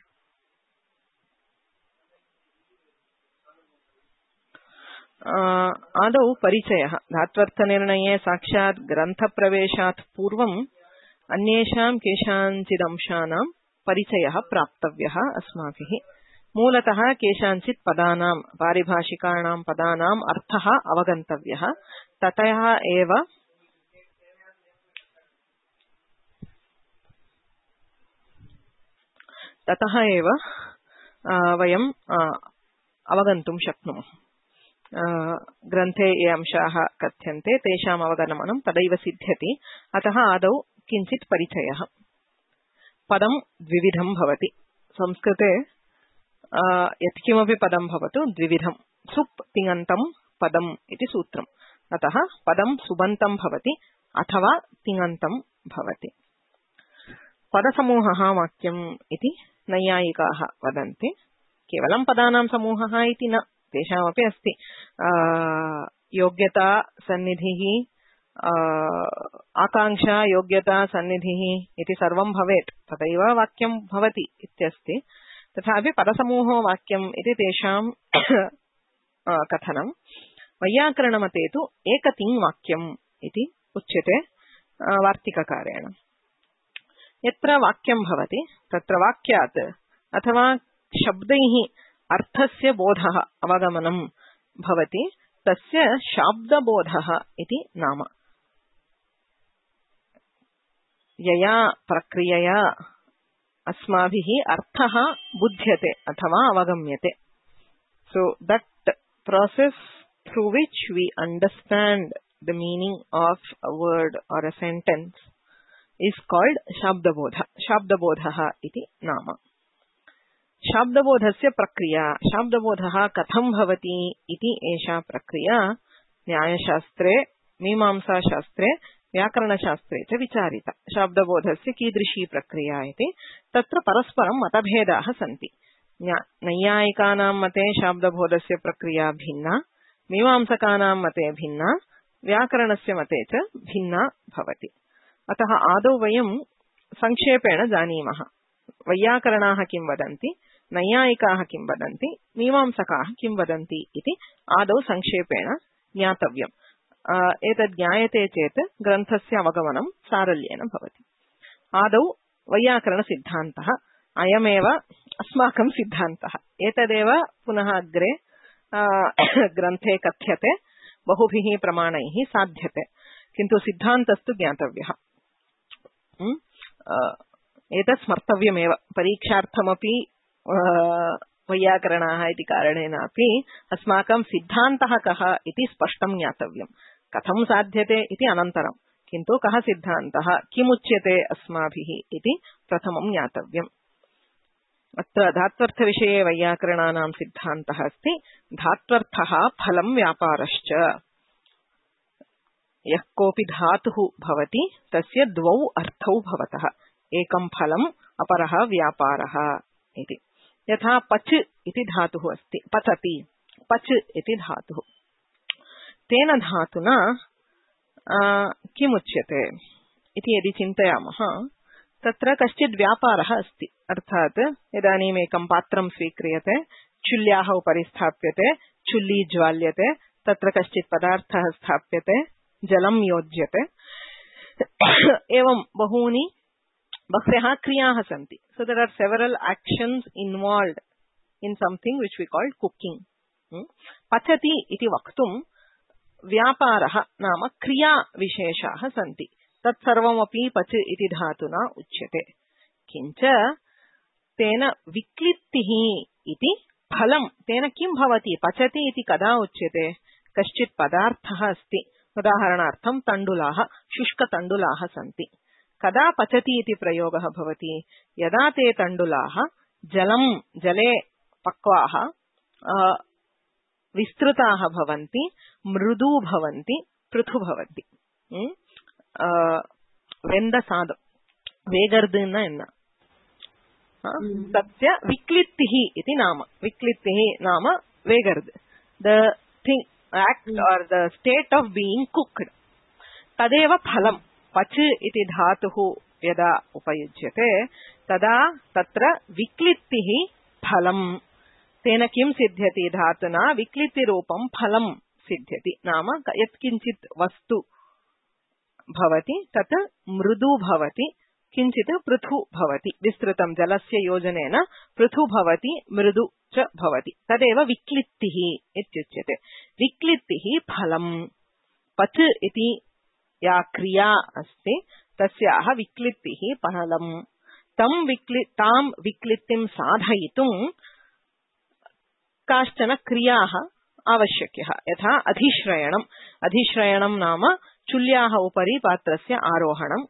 आदौ परिचयः। धात्वर्थनिर्णये साक्षात् ग्रन्थप्रवेशात् पूर्वम् अन्येषां केषाञ्चिदंशानां परिचयः प्राप्तव्यः अस्माभिः। मूलतः केषाञ्चित् पदानां, पारिभाषिकाणां पदानाम् अर्थः अवगन्तव्यः। ततः एव वयम् अवगन्तुं शक्नुमः। ग्रन्थे ये अंशाः कथ्यन्ते तेषाम् अवगमनं तदैव सिद्ध्यति। अतः आदौ किञ्चित् परिचयः। पदं द्विविधं भवति। संस्कृते यत्किमपि पदं भवतु द्विविधं। सुप् तिङन्तं पदम् इति सूत्रम्। अतः पदं सुबन्तं भवति अथवा तिङन्तं भवति। पदसमूहः वाक्यम् इति नैयायिकाः वदन्ति। केवलं पदानां समूहः इति न, तेषामपि अस्ति। योग्यता सन्निधिः, आकाङ्क्षा योग्यता सन्निधिः इति सर्वं भवेत्, तदैव वाक्यं भवति इत्यस्ति। तथापि पदसमूहो वाक्यम् इति तेषां कथनं। वैयाकरणमते तु एकतिङ् वाक्यम् इति उच्यते वार्तिककारेण। यत्र वाक्यं भवति तत्र वाक्यात् अथवा शब्दैः अर्थस्य बोधः अवगमनं भवति, तस्य शाब्दबोधः इति नाम। यया प्रक्रियया अस्माभिः अर्थः बुध्यते अथवा अवगम्यते। So that process through which we understand the meaning of a word or a sentence is called shabdabodha. Shabdabodha iti nama. शाब्दबोधस्य प्रक्रिया। शाब्दबोधः कथं भवति इति एषा प्रक्रिया न्यायशास्त्रे, मीमांसाशास्त्रे, व्याकरणशास्त्रे च विचारिता। शाब्दबोधस्य कीदृशी प्रक्रिया इति तत्र परस्परं मतभेदाः सन्ति। नैयायिकानां मते शाब्दबोधस्य प्रक्रिया भिन्ना, मीमांसकानां मते भिन्ना, व्याकरणस्य मते च भिन्ना भवति। अतः आदौ वयं संक्षेपेण जानीमः। वैयाकरणाः किं वदन्ति, नैयायिकाः किं वदन्ति, मीमांसकाः किं वदन्ति इति आदौ संक्षेपेण ज्ञातव्यम्। एतद् ज्ञायते चेत् ग्रन्थस्य अवगमनं सारल्येन भवति। आदौ वैयाकरणसिद्धान्तः, अयमेव अस्माकं सिद्धान्तः। एतदेव पुनः अग्रे ग्रन्थे कथ्यते, बहुभिः प्रमाणैः साध्यते, किन्तु सिद्धान्तस्तु ज्ञातव्यः। एतत् स्मर्तव्यमेव। परीक्षार्थमपि वैयाकरणाः इति कारणेनापि अस्माकं सिद्धान्तः कः इति स्पष्टं ज्ञातव्यम्। कथं साध्यते इति अनन्तरं, किन्तु कः सिद्धान्तः, किमुच्यते अस्माभिः इति प्रथमं ज्ञातव्यम्। अत्र धात्वर्थविषये वैयाकरणानां सिद्धान्तः अस्ति, धात्वर्थः फलं व्यापारश्च। यः कोऽपि धातुः भवति तस्य द्वौ अर्थौ भवतः, एकं फलम् अपरः व्यापारः इति। यथा पच् इति धातुः अस्ति, पचति, पच् इति धातुः। तेन धातुना किमुच्यते इति यदि चिन्तयामः, तत्र कश्चित् व्यापारः अस्ति। अर्थात् इदानीम् एकं पात्रं स्वीक्रियते, चुल्याः उपरि स्थाप्यते, चुल्ली ज्वाल्यते, तत्र कश्चित् पदार्थः स्थाप्यते, जलं योज्यते, एवं बह्व्यः क्रियाः सन्ति। So there are several actions involved in something which we call cooking. पचति इति वक्तुं व्यापारः नाम क्रिया विशेषाः सन्ति, तत्सर्वमपि पच इति धातुना उच्यते। किञ्च तेन विक्लित्तिः इति फलं, तेन किं भवति, पचति इति कदा उच्यते, कश्चित् पदार्थः अस्ति, उदाहरणार्थं तण्डुलाः, शुष्कतण्डुलाः सन्ति। कदा पचति इति प्रयोगः भवति, यदा ते तण्डुलाः जले पक्वाः, विस्तृताः भवन्ति, मृदू भवन्ति, पृथु भवन्ति। वेन्दसादं वेगर्दन्न एन्न तस्य विक्लित्तिः इति नाम। विक्लित्तिः नाम वेगर्द, the thing act or the state of being cooked, तदेव फलं। पच इति धातुः यदा उपयुज्यते तदा तत्र विक्लित्तिः फलं। तेन किं सिद्ध्यति, धातुना विक्लित्तिरूपं फलं सिद्ध्यति। नाम यत्किञ्चित् वस्तु भवति तत् मृदु भवति, किञ्चित् पृथु भवति। विस्तृतं जलस्य योजनेन पृथु भवति, मृदु च भवति, तदेव विक्लित्तिः इत्युच्यते। विक्लित्तिः फलं। पच इति या क्रिया अस्ति तस्याः विक्लित्तिः फलं। तां विक्लित्तिं साधयितुं काश्चन क्रियाः आवश्यक्यः। यथा अधिश्रयणम्। अधिश्रयणं नाम चुल्याः उपरि पात्रस्य आरोहणं,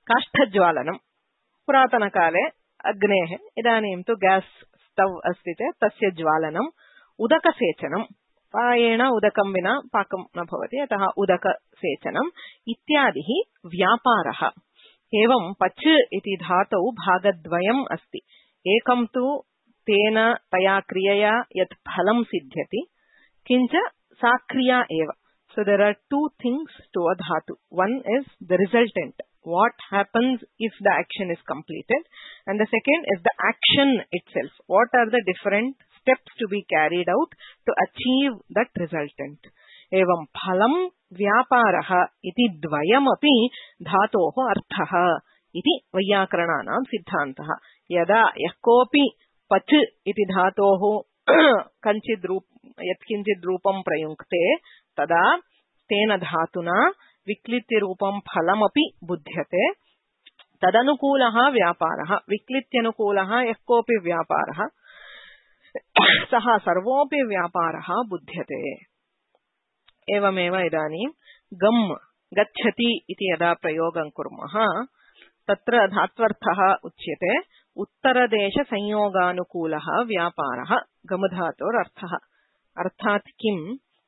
काष्ठज्वालनं। पुरातनकाले अग्नेः, इदानीं तु ग्यास् स्टव् अस्ति चेत् तस्य ज्वालनम्, उदकसेचनं। प्रायेण उदकं विना पाकं न भवति, अतः उदकसेचनम् इत्यादिः व्यापारः। एवं पच इति धातौ भागद्वयम् अस्ति। एकं तु तेन तया क्रियया यत् फलं सिद्ध्यति, किञ्च सा क्रिया एव। So there are two things to a dhatu. One is the resultant, what happens if the action is completed, and the second is the action itself. What are the different steps to be carried out to achieve that resultant? एवं फलं व्यापारः इति द्वयमपि धातोः अर्थः इति वैयाकरणानां सिद्धान्तः। यदा यः कोऽपि पच इति धातोः यत्किञ्चित् रूपं प्रयुङ्क्ते तदा तेन धातुना विक्लित्तिरूपं फलमपि बुध्यते। तदनुकूलः व्यापारः। विक्लित्यनुकूलः यः कोऽपि व्यापारः सः सर्वोऽपि व्यापारः बुध्यते। एवमेव इदानीं गम् गच्छति इति यदा प्रयोगं कुर्मः तत्र धात्वर्थः उच्यते उत्तरदेशसंयोगानुकूलः व्यापारः गमधातोरर्थः। अर्थात् किं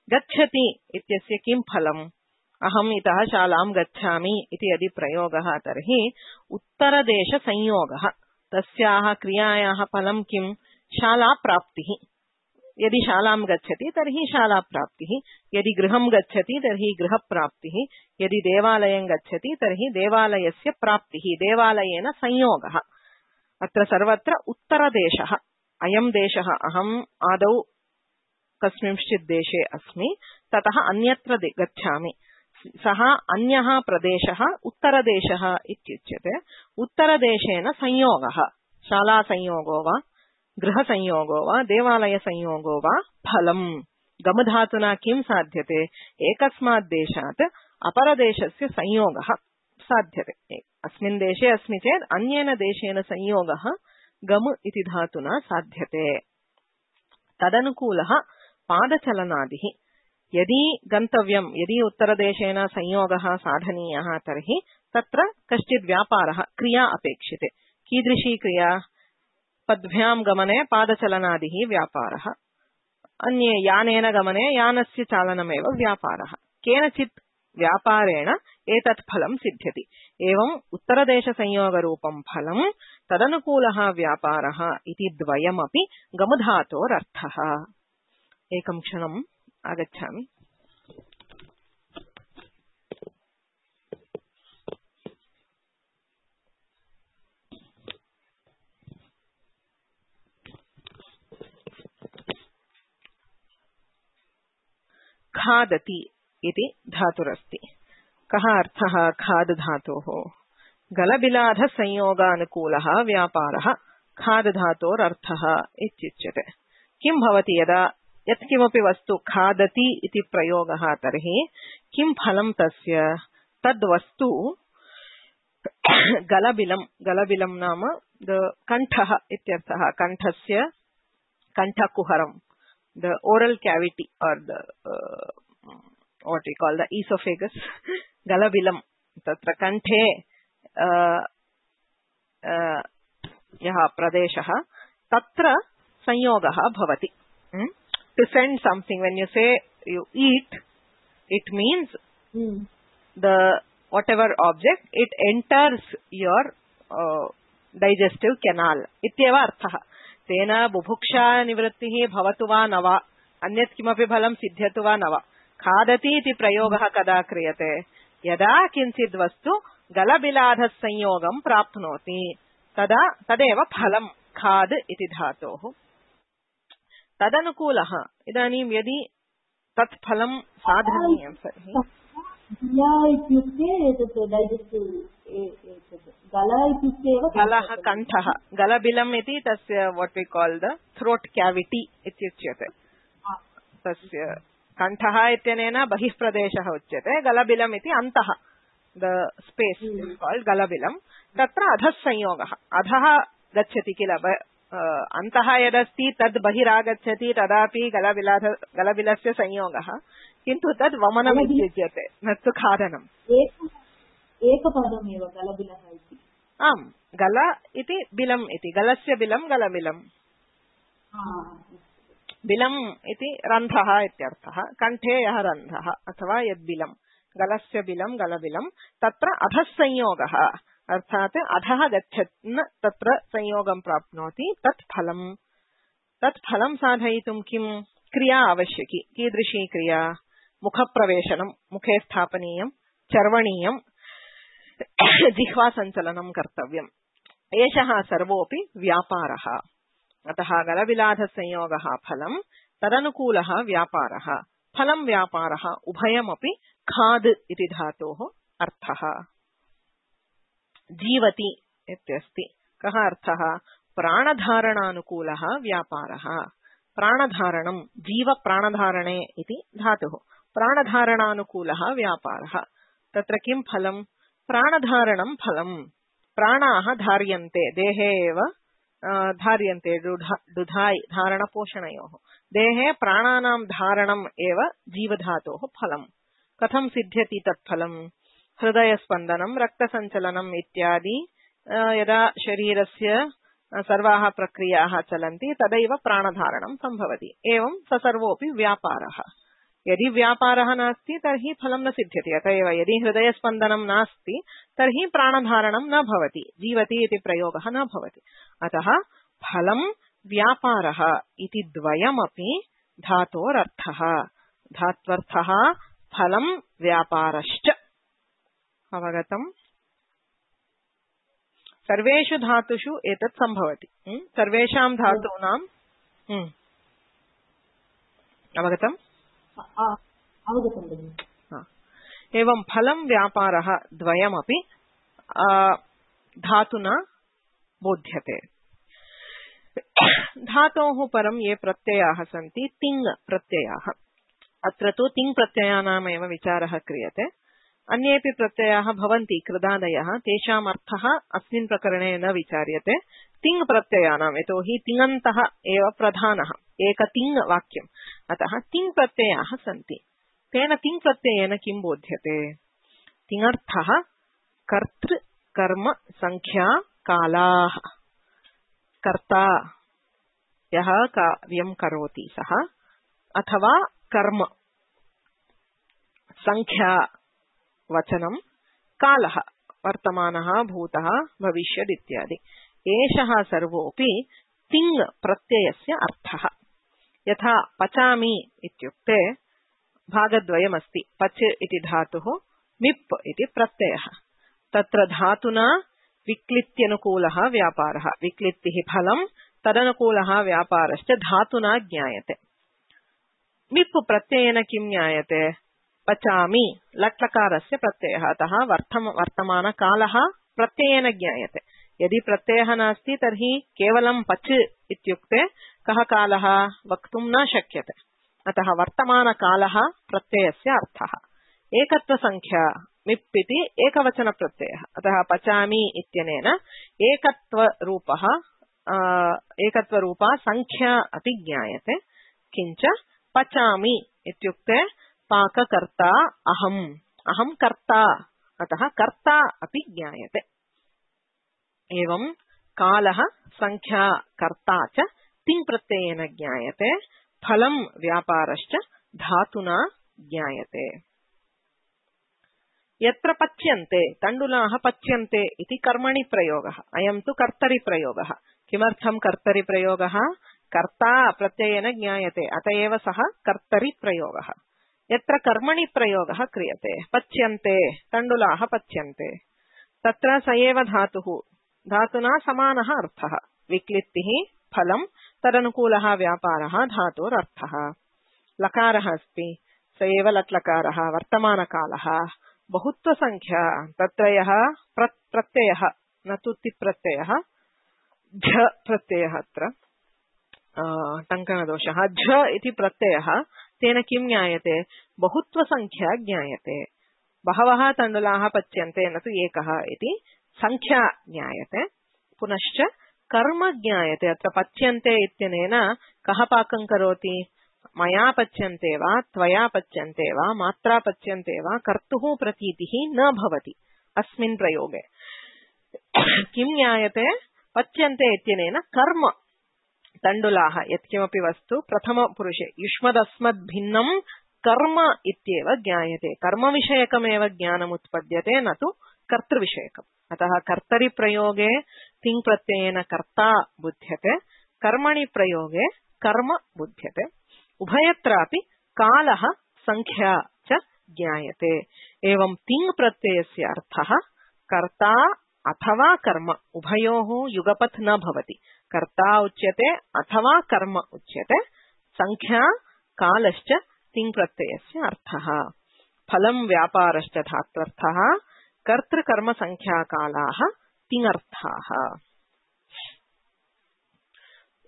गच्छति इत्यस्य किं फलम्, अहम् इतः शालां गच्छामि इति यदि प्रयोगः तर्हि उत्तरदेशसंयोगः, तस्याः क्रियायाः फलं किं, शालाप्राप्तिः। यदि शालां गच्छति तर्हि शालाप्राप्तिः, यदि गृहं गच्छति तर्हि गृहप्राप्तिः, यदि देवालयं गच्छति तर्हि देवालयस्य प्राप्तिः, देवालयेन संयोगः। अत्र सर्वत्र उत्तरदेशः अयं देशः अहम् आदौ कस्मिंश्चित् देशे अस्मि ततः अन्यत्र गच्छामि सः अन्यः प्रदेशः उत्तरदेशः इत्युच्यते उत्तरदेशेन संयोगः शालासंयोगो वा गृहसंयोगो वा देवालयसंयोगो वा फलम् गमधातुना किं साध्यते एकस्मात् देशात् अपरदेशस्य संयोगः साध्यते अस्मिन् देशे अस्मि चेत् अन्येन देशेन संयोगः गम इति धातुना साध्यते तदनुकूलः पादचलनादिः यदि गन्तव्यं यदि उत्तरदेशेन संयोगः साधनीयः तर्हि तत्र कश्चित् व्यापारः क्रिया अपेक्षिते कीदृशी क्रिया पद्भ्यां गमने पादचलनादिः व्यापारः अन्ये यानेन गमने यानस्य चालनमेव व्यापारः केनचित् व्यापारेण एतत् फलं सिद्ध्यति एवं उत्तरदेशसंयोगरूपं फलं तदनुकूलः व्यापारः इति द्वयमपि गमधातोरर्थः एकं क्षणम् आगच्छामि खादति इति धातुरस्ति कः अर्थः खाद धातोः गलबिलाध संयोगानुकूलः व्यापारः खाद धातोरर्थः इत्युच्यते किं भवति यदा यत्किमपि वस्तु खादति इति प्रयोगः तर्हि किं फलं तस्य तद्वस्तु गलबिलं नाम कण्ठः इत्यर्थः कण्ठस्य कण्ठकुहरं the oral cavity or the what we call the esophagus galabilam tatra kanthe यः प्रदेशः तत्र संयोगः भवति to send something when you say you eat it means the whatever object it enters your digestive canal ityeva arthah तेन बुभुक्षा निवृत्तिः भवतु वा न वा अन्यत् किमपि फलं सिद्ध्यतु वा न वा खादति इति प्रयोगः कदा क्रियते यदा किञ्चित् वस्तु गलबिलाधः संयोगं प्राप्नोति तदा तदेव फलं खाद इति धातोः तदनुकूलः इदानीं यदि तत् फलं साधनीयं तर्हि गलः कण्ठः गलबिलम् इति तस्य what we call the throat cavity इत्युच्यते तस्य कण्ठः इत्यनेन बहिः प्रदेशः उच्यते गलबिलम् इति अन्तः the space is called गलबिलम् तत्र अधः संयोगः अधः गच्छति किल अन्तः यदस्ति तद् बहिरागच्छति तदापि गलबिलस्य संयोगः किन्तु तद् वमनम् इत्युच्यते न तु खादनम् एकपदमेव गलबिलः इति आम् गल इति बिलम् इति गलस्य बिलं गलबिलम् बिलम् इति रन्ध्रः इत्यर्थः कण्ठे यः रन्ध्रः अथवा यद्बिलं गलस्य बिलं गलबिलं तत्र अधः संयोगः अर्थात् अधः गच्छन् तत्र संयोगं प्राप्नोति तत् फलं साधयितुं किं क्रिया आवश्यकी कीदृशी क्रिया मुखप्रवेशनं मुखे स्थापनीयं चर्वणीयं जिह्वासञ्चलनं कर्तव्यम् एषः सर्वोऽपि व्यापारः अतः गलबिलाधसंयोगः फलं तदनुकूलः व्यापारः फलं व्यापारः उभयमपि खाद् इति धातोः अर्थः जीवति इत्यस्ति कः अर्थः प्राणधारणानुकूलः व्यापारः प्राणधारणं जीवप्राणधारणे इति धातुः प्राणधारणानुकूलः व्यापारः तत्र किं फलं प्राणधारणं फलं प्राणाः धार्यन्ते देहे एव धार्यन्ते दुधायि धारणपोषणयोः देहे प्राणानां धारणम् एव जीवधातोः फलं कथं सिद्ध्यति तत्फलं हृदयस्पन्दनं रक्तसञ्चलनम् इत्यादि यदा शरीरस्य सर्वाः प्रक्रियाः चलन्ति तदैव प्राणधारणं सम्भवति एवं स सर्वोऽपि व्यापारः यदि व्यापारः नास्ति तर्हि फलं न सिद्ध्यति अत एव यदि हृदयस्पन्दनं नास्ति तर्हि प्राणधारणं न भवति जीवति इति प्रयोगः न भवति अतः फलं व्यापारः इति द्वयमपि धातोरर्थः धात्वर्थः फलं व्यापारश्च अवगतम् सर्वेषु धातुषु एतत् सम्भवति। सर्वेषां धातूनां अवगतम्? अवगतं भगिनि। एवं फलं व्यापारः द्वयमपि धातुना बोध्यते। धातोः परं ये प्रत्ययाः सन्ति तिङ् प्रत्ययाः। अत्र तु तिङ् प्रत्ययानामेव विचारः क्रियते। अन्येपि प्रत्ययाः भवन्ति कृदादयः, तेषाम् अर्थः अस्मिन् प्रकरणे न विचार्यते। तिङ् प्रत्ययानां, यतोहि तिङन्तः एव प्रधानः, एक तिङ् वाक्यम्, अतः तिङ् प्रत्ययाः सन्ति। तेन तिङ् प्रत्ययेन किं बोध्यते? तिङर्थः कर्तृ कर्म संख्या कालाः। कर्ता यः कार्यं करोति सः, अथवा कर्म संख्या वचनं, कालः वर्तमानः भूतः भविष्यद् इत्यादि। एषः सर्वोऽपि तिङ् प्रत्ययस्य अर्थः। यथा पचामि इत्युक्ते भागद्वयमस्ति। पच इति धातुः, मिप् इति प्रत्ययः। तत्र धातुना विक्लित्यनुकूलः व्यापारः, विक्लित्तिः फलं, तदनुकूलः व्यापारश्च धातुना ज्ञायते। मिप् प्रत्ययेन किं ज्ञायते? पचामि लट्लकारस्य प्रत्ययः, अतः वर्तमानकालः प्रत्ययेन ज्ञायते। यदि प्रत्ययः नास्ति तर्हि केवलं पच इत्युक्ते कः कालः वक्तुं न शक्यते। अतः वर्तमानकालः प्रत्ययस्य अर्थः। एकत्वसंख्या मिप् इति एकवचनप्रत्ययः, अतः पचामि इत्यनेन एकत्वरूपा संख्या अपि ज्ञायते। किञ्च पचामि इत्युक्ते पाककर्ता अहं कर्ता, अतः कर्ता अपि ज्ञायते। एवं कालः संख्या कर्ता च तिङ् प्रत्ययेन ज्ञायते। फलं व्यापारश्च धातुना ज्ञायते। यत्र पच्यन्ते, तण्डुलाः पच्यन्ते इति कर्मणि प्रयोगः। अयं तु कर्तरिप्रयोगः। किमर्थं कर्तरिप्रयोगः? कर्ता प्रत्ययेन ज्ञायते, अत एव सः कर्तरिप्रयोगः। यत्र कर्मणि प्रयोगः क्रियते, पच्यन्ते तण्डुलाः पच्यन्ते, तत्र स एव धातुः, धातुना समानः अर्थः। विक्लित्तिः फलं, तदनुकूलः व्यापारः धातोरर्थः। लकारः अस्ति, स एव लट्लकारः, वर्तमानकालः। बहुत्वसंख्या, तत्र यः प्रत्ययः, न तु तिप्रत्ययः, झ प्रत्ययः, अत्र टङ्कनदोषः, झ इति प्रत्ययः, तेन किं ज्ञायते? बहुत्वसंख्या ज्ञायते। बहवः तण्डुलाः पच्यन्ते, न तु एकः इति संख्या ज्ञायते। पुनश्च कर्म ज्ञायते। अत्र पच्यन्ते इत्यनेन कः पाकं करोति? मया पच्यन्ते वा, त्वया पच्यन्ते वा, मात्रा पच्यन्ते वा, कर्तुः प्रतीतिः न भवति अस्मिन् प्रयोगे। किं ज्ञायते? पच्यन्ते इत्यनेन कर्म, तण्डुलाः यत्किमपि वस्तु प्रथमपुरुषे युष्मदस्मद्भिन्नं कर्म इत्येव ज्ञायते। कर्मविषयकमेव ज्ञानमुत्पद्यते, न तु कर्तृविषयकम्। अतः कर्तरिप्रयोगे तिङ् प्रत्ययेन कर्ता बुध्यते, कर्मणि प्रयोगे कर्म बुध्यते। उभयत्रापि कालः संख्या च ज्ञायते। एवं तिङ् प्रत्ययस्य अर्थः कर्ता अथवा कर्म, उभयोः युगपत् न भवति। कर्ता उच्यते अथवा कर्म उच्यते। संख्या कालश्च तिङ् प्रत्ययस्य अर्थः। फलं व्यापारश्च धात्वर्थः। कर्तृकर्म संख्याकालाः तिङर्थाः।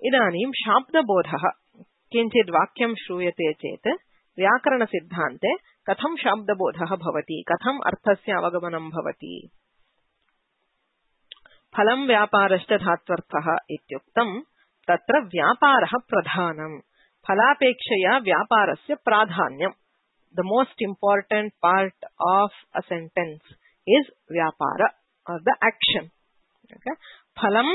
इदानीं शाब्दबोधः। किञ्चित् वाक्यं श्रूयते चेत् व्याकरणसिद्धान्ते कथं शाब्दबोधः भवति, कथम् अर्थस्य अवगमनं भवति। फलं व्यापारश्च धात्वर्थः इत्युक्तं तत्र व्यापारः प्रधानं। फलापेक्षया व्यापारस्य प्राधान्यं। The most important part of a sentence is vyapara or the action. Okay? Phalam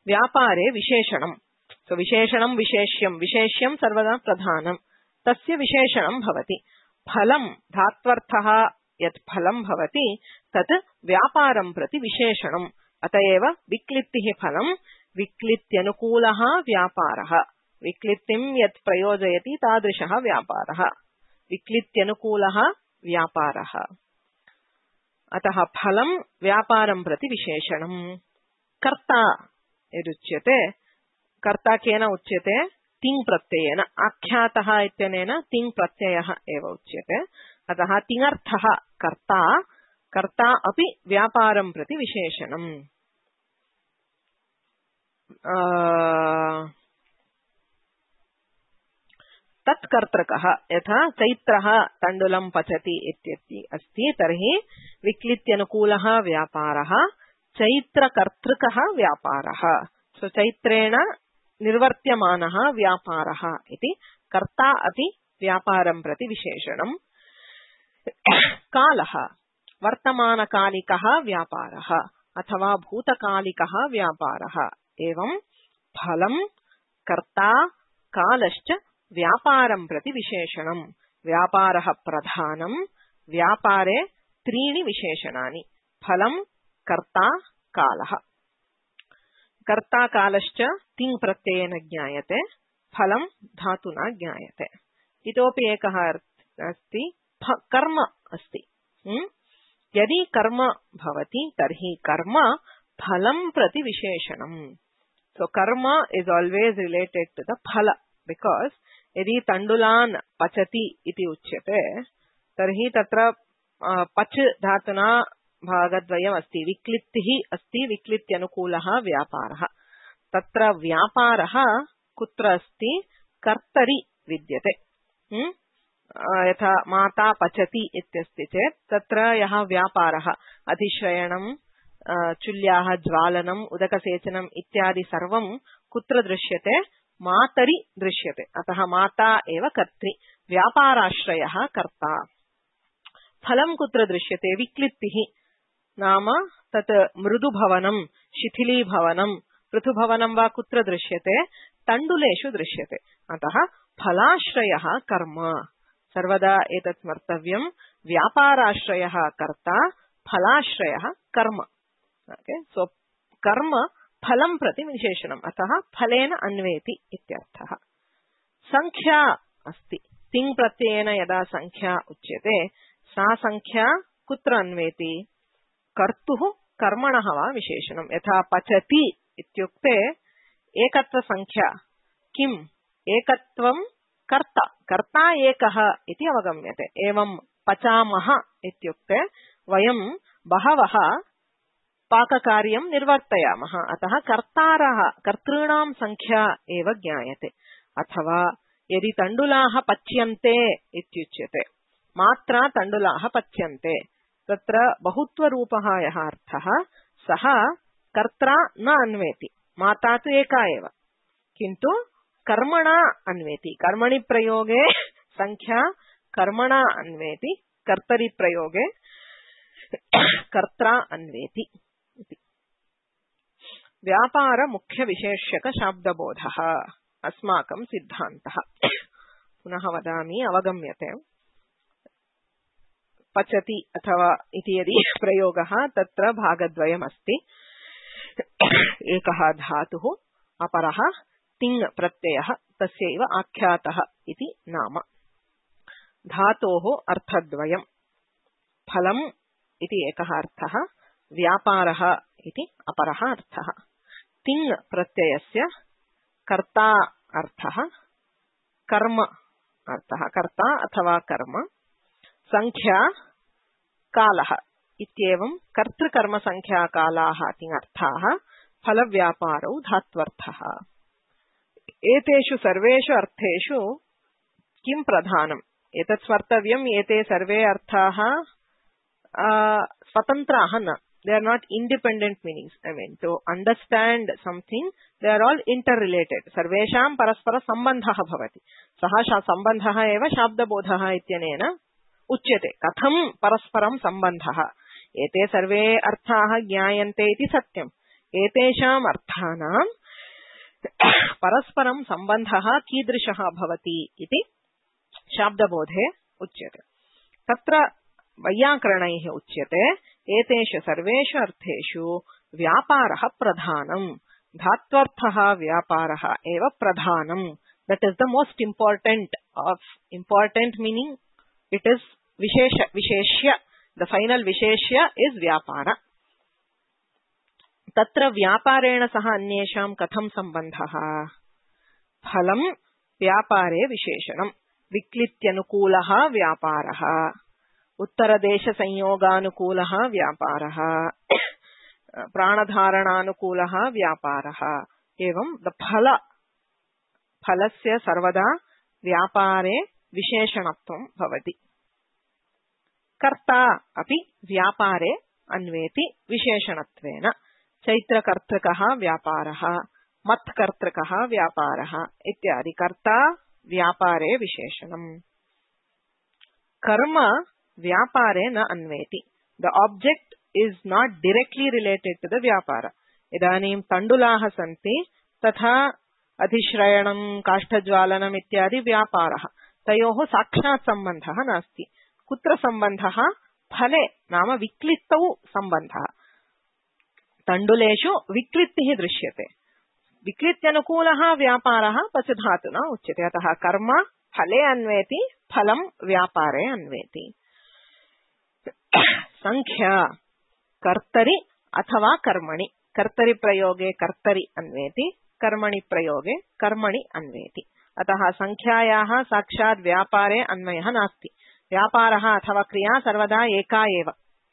vyapare visheshanam. So visheshanam visheshyam sarvada pradhanam. Tasya visheshanam bhavati. Phalam dhatvarthaha yat phalam bhavati tat vyaparam prati visheshanam. Atayeva viklittihi phalam viklityanukulaha vyaparaha. विक्लित्तिं यत् प्रयोजयति तादृशः व्यापारः। विक्लित्यनुकूलः व्यापारः। अतः फलं व्यापारं प्रति विशेषणम्। कर्ता यदुच्यते, कर्ता केन उच्यते? तिङ् प्रत्ययेन। आख्यातः इत्यनेन तिङ् प्रत्ययः एव उच्यते। अतः तिङर्थः कर्ता, कर्ता अपि व्यापारं प्रति विशेषणम्। तत्कर्तृकः यथा चैत्रः तण्डुलं पचति इत्यपि अस्ति, तर्हि विक्लित्यनुकूलः व्यापारः, चैत्रकर्तृकः व्यापारः। सो चैत्रेण निर्वर्त्यमानः व्यापारः इति कर्ता अपि व्यापारं प्रति विशेषणम्। कालः वर्तमानकालिकः व्यापारः अथवा भूतकालिकः व्यापारः। एवं फलं, कर्ता, कालश्च व्यापारं प्रति विशेषणम्। व्यापारः प्रधानम्। व्यापारे त्रीणि विशेषणानि: फलं, कर्ता, कालः। कर्ता कालश्च तिङ् प्रत्ययेन ज्ञायते, फलं धातुना ज्ञायते। इतोपि एकः अस्ति, कर्म अस्ति। यदि कर्म भवति तर्हि कर्म फलं प्रति विशेषणम्। So karma is always related to the phala, because यदि तण्डुलान् पचति इति उच्यते तर्हि तत्र पच धातुना भागद्वयम् अस्ति। विक्लित्तिः अस्ति, विक्लित्यनुकूलः व्यापारः। तत्र व्यापारः कुत्र अस्ति? कर्तरि विद्यते। यथा माता पचति इत्यस्ति चेत् तत्र यः व्यापारः, अधिश्रयणं, चुल्याः ज्वालनम्, उदकसेचनम् इत्यादि सर्वं कुत्र दृश्यते? मातरि दृश्यते। अतः माता एव कर्त्री। व्यापाराश्रयः कर्ता। फलं कुत्र दृश्यते? विक्लित्तिः नाम तत् मृदुभवनं, शिथिलीभवनं, पृथुभवनं वा कुत्र दृश्यते? तण्डुलेषु दृश्यते। अतः फलाश्रयः कर्म। सर्वदा एतत् स्मर्तव्यम्। व्यापाराश्रयः कर्ता, फलाश्रयः कर्म। ओके, सो कर्म फलं प्रति विशेषणम्। अतः फलेन अन्वेति इत्यर्थः। संख्या अस्ति। तिङ् प्रत्ययेन यदा संख्या उच्यते, सा संख्या कुत्र अन्वेति? कर्तुः कर्मणः वा विशेषणम्। यथा पचति इत्युक्ते एकत्व संख्या। किम्? एकत्वं कर्ता, कर्ता एकः इति अवगम्यते। एवं पचामः इत्युक्ते वयं बहवः पाककार्यं निर्वर्तयामः। अतः कर्तारः, कर्तॄणां संख्या एव ज्ञायते। अथवा यदि तण्डुलाः पच्यन्ते इत्युच्यते, मात्रा तण्डुलाः पच्यन्ते, तत्र बहुत्वरूपः यः अर्थः, सः कर्त्रा न अन्वेति। माता तु एका एव, किन्तु कर्मणा अन्वेति। कर्मणि प्रयोगे संख्या कर्मणा अन्वेति, कर्तरि प्रयोगे कर्त्रा अन्वेति। व्यापार मुख्य विशेष्यक शाब्दबोधः अस्माकं सिद्धान्तः। पुनः वदामि, अवगम्यते। पचति अथवा इति यदि प्रयोगः, तत्र भागद्वयमस्ति। एकः धातुः, अपरः तिङ् प्रत्ययः, तस्यैव आख्यातः इति नाम। धातोः अर्थद्वयम्। फलम् इति एकः अर्थः, व्यापारः इति अपरः अर्थः। तिङ् प्रत्ययस्य कर्ता अर्थः, कर्म अर्थः, कर्ता अथवा कर्म, संख्या, कालः इत्येवं कर्तृकर्म संख्या कालाः तिङर्थाः, फलव्यापारौ धात्वर्थः। एतेषु सर्वेषु अर्थेषु किं प्रधानम्? एतत् स्मर्तव्यम्, एते सर्वे अर्थाः स्वतन्त्राः न। They are not independent meanings. I mean, to understand something, they are all interrelated. सर्वेषां परस्पर सम्बन्धः भवति। सः सम्बन्धः एव शाब्दबोधः इत्यनेन उच्यते। कथं परस्परं सम्बन्धः? एते सर्वे अर्थाः ज्ञायन्ते इति सत्यम्। एतेषाम् अर्थानां परस्परं सम्बन्धः कीदृशः भवति इति शाब्दबोधे उच्यते। तत्र वैयाकरणैः उच्यते, एतेषु सर्वेषु अर्थेषु व्यापारः प्रधानम्। धात्वर्थः व्यापारः एव प्रधानम्। That is the most important of important meaning. It is visheshya the final visheshya is vyapara. तत्र व्यापारेण सह अन्येषां कथं सम्बन्धः? फलं व्यापारे विशेषणं. विक्लित्यनुकूलः व्यापारः, उत्तरदेशसंयोगानुकूलः व्यापारः, प्राणधारणानुकूलः व्यापारः. एवं फलस्य सर्वदा व्यापारे विशेषणत्वं भवति. कर्ता अपि व्यापारे अन्वेति विशेषणत्वेन. चैत्रकर्तृकः व्यापारः, मत्कर्तृकः व्यापारः इत्यादि. कर्ता व्यापारे विशेषणम्. कर्म व्यापारे न अन्वेति. The object is not directly related to the vyapara. इदानीं तण्डुलाः सन्ति, तथा अधिश्रयणं, काष्ठज्वालनम् इत्यादि व्यापारः. तयोः साक्षात् सम्बन्धः नास्ति. कुत्र सम्बन्धः? फले नाम विक्लित्तौ सम्बन्धः. तण्डुलेषु विक्लित्तिः दृश्यते. विक्लित्यनुकूलः व्यापारः पचधातुना उच्यते. अतः कर्म फले अन्वेति, फलं व्यापारे अन्वेति. संख्या कर्तरि अथवा कर्मणि. कर्तरि प्रयोगे कर्तरि अन्वेति, कर्मणि प्रयोगे कर्मणि अन्वेति. अतः संख्यायाः साक्षात् व्यापारे अन्वयः नास्ति. व्यापारः अथवा क्रिया सर्वदा एका एव.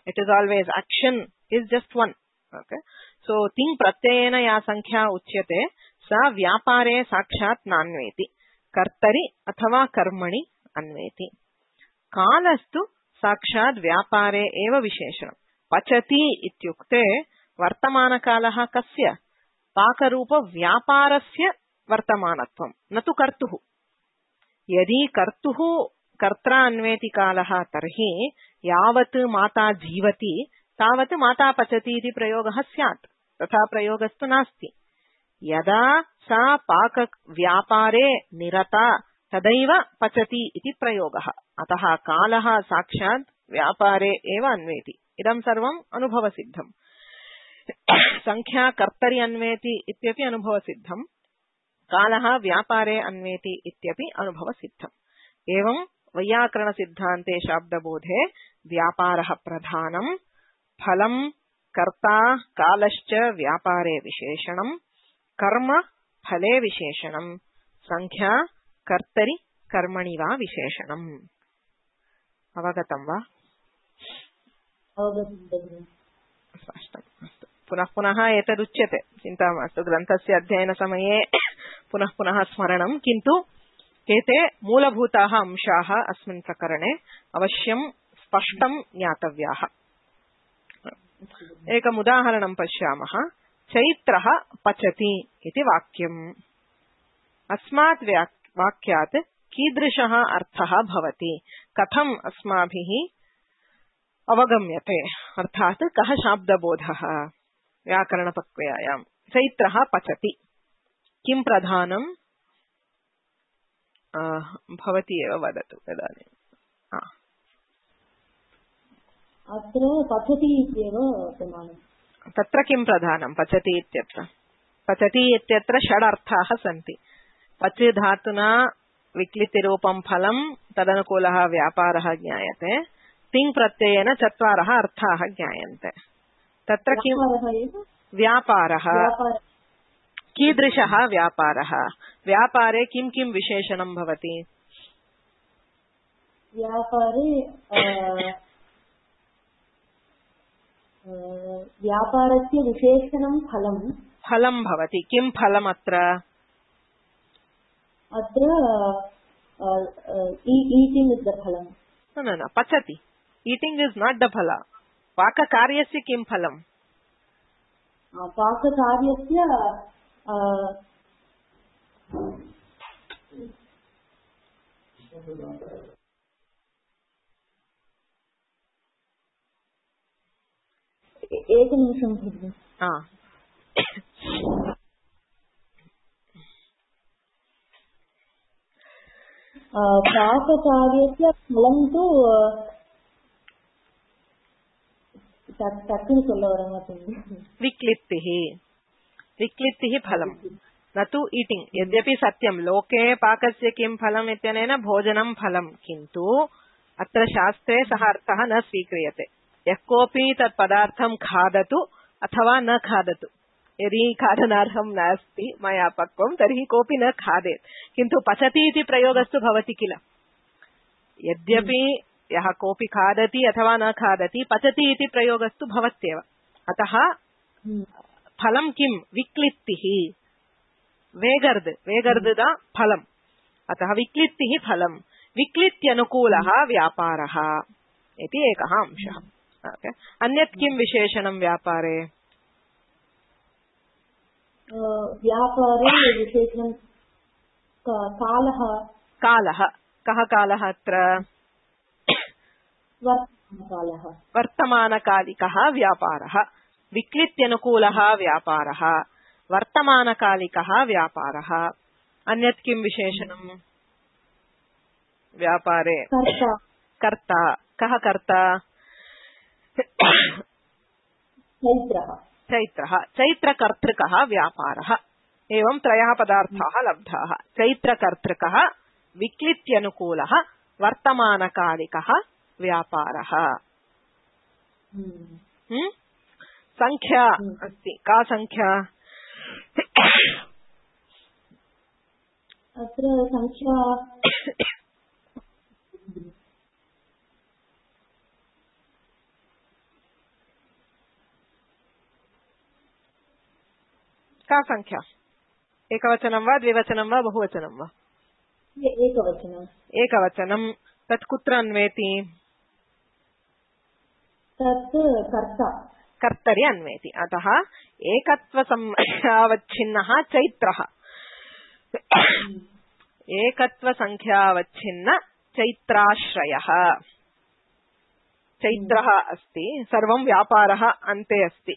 It is always action is just one. Okay, so तिङ् प्रत्ययेन या संख्या उच्यते सा व्यापारे साक्षात् नान्वेति, कर्तरि अथवा कर्मणि अन्वेति. कालस्तु साक्षात् व्यापारे एव विशेषणम्. पचति इत्युक्ते वर्तमानकालः कस्य? पाकरूप व्यापारस्य वर्तमानत्वं, न तु कर्तुः. यदि कर्तुः कर्त्रा अन्वेति कालः तर्हि यावत् माता जीवति तावत् माता पचति इति प्रयोगः स्यात्. तथा प्रयोगस्तु नास्ति. यदा सा पाक व्यापारे निरता तदैव पचति इति प्रयोगः. अतः कालः साक्षात् व्यापारे एव अन्वेति. इदं सर्वम् अनुभवसिद्धम्. संख्या कर्तरि अन्वेति इत्यपि अनुभवसिद्धम्. कालः व्यापारे अन्वेति इत्यपि अनुभवसिद्धम्. एवं वैयाकरणसिद्धान्ते शाब्दबोधे व्यापारः प्रधानम्, फलं कर्ता कालश्च व्यापारे विशेषणम्, कर्म फले विशेषणम्, संख्या कर्तरि कर्मणि वा विशेषणम्. अवगतं वा? स्पष्टम्. अस्तु, पुनः पुनः एतदुच्यते, चिन्ता मास्तु. ग्रन्थस्य अध्ययनसमये पुनः पुनः स्मरणम्. किन्तु एते मूलभूताः अंशाः अस्मिन् प्रकरणे अवश्यं स्पष्टं ज्ञातव्याः. एकम् उदाहरणं पश्यामः. चैत्रः पचति इति वाक्यम्. अस्मात् वाक्यात् कीदृशः अर्थः भवति? कथम् अस्माभिः अवगम्यते? अर्थात् कः शाब्दबोधः व्याकरणप्रक्रियायां? चैत्रः पचति, किं प्रधानम्? भवती एव वदतु इदानीम्. अत्र पचति इत्येव प्रमाणम्. तत्र किं प्रधानं? पचति इत्यत्र. पचति इत्यत्र षड् अर्थाः सन्ति. पच धातुना विक्लितिरूपं फलं, तदनुकूलः व्यापारः ज्ञायते. तिङ् प्रत्ययेन चत्वारः अर्थाः ज्ञायन्ते. तत्र किं व्यापारः? कीदृशः व्यापारः? व्यापारे किं किं विशेषणं भवति? व्यापारे व्यापारस्य विशेषणं फलं. फलं भवति. किं फलम् अत्र? अत्र ईटिंग इज द फलं. न, पचति. ईटिंग इज नॉट द फल. पाककार्यस्य किं फलं? पाककार्यस्य एकनिमिषं भगिनि. पाककार्यस्य फलं तु टक्कुनु सोल्ल वरमाट्टेங்குது. विक्लित्तिः फलं, न तु ईटिंग. यद्यपि सत्यं लोके पाकस्य किं फलम् इत्यनेन भोजनं फलं, किन्तु अत्र शास्त्रे सः अर्थः न स्वीक्रियते। यः कोऽपि तत् पदार्थं खादतु अथवा न खादतु, यदि खादनार्हं नास्ति मया पक्वं तर्हि कोऽपि न खादेत्, किन्तु पचति इति प्रयोगस्तु भवति किल। यद्यपि यः कोऽपि खादति अथवा न खादति, पचति इति प्रयोगस्तु भवत्येव। अतः फलं किं? विक्लित्तिः। वेगर्द फलम्, अतः विक्लित्तिः फलम्। विक्लित्यनुकूलः व्यापारः इति एकः अंशः। अन्यत् किं विशेषणं व्यापारे? व्यापारे विशेषणं कालः। कः कालः अत्र? वर्तमानकालिकः व्यापारः। विक्लित्यनुकूलः व्यापारः, वर्तमानकालिकः व्यापारः। अन्यत् किं विशेषणं व्यापारे? कर्ता। कः कर्ता? चैत्रः। चैत्रकर्तृकः व्यापारः। एवं त्रयः पदार्थाः लब्धाः। चैत्रकर्तृकः, विक्लित्यनुकूलः, वर्तमानकालिकः व्यापारः। संख्या अस्ति। का संख्या? अत्र संख्या का संख्या? एकवचनं वा द्विवचनं वा बहुवचनं वा? एकवचनं। तत् कुत्र अन्वेति? तत् कर्तरि अन्वेति। अतः एकत्वसंख्यावच्छिन्नः चैत्रः। एकत्वसंख्यावच्छिन्न चैत्राश्रयः। चैत्रः अस्ति, सर्वं व्यापारः अन्ते अस्ति।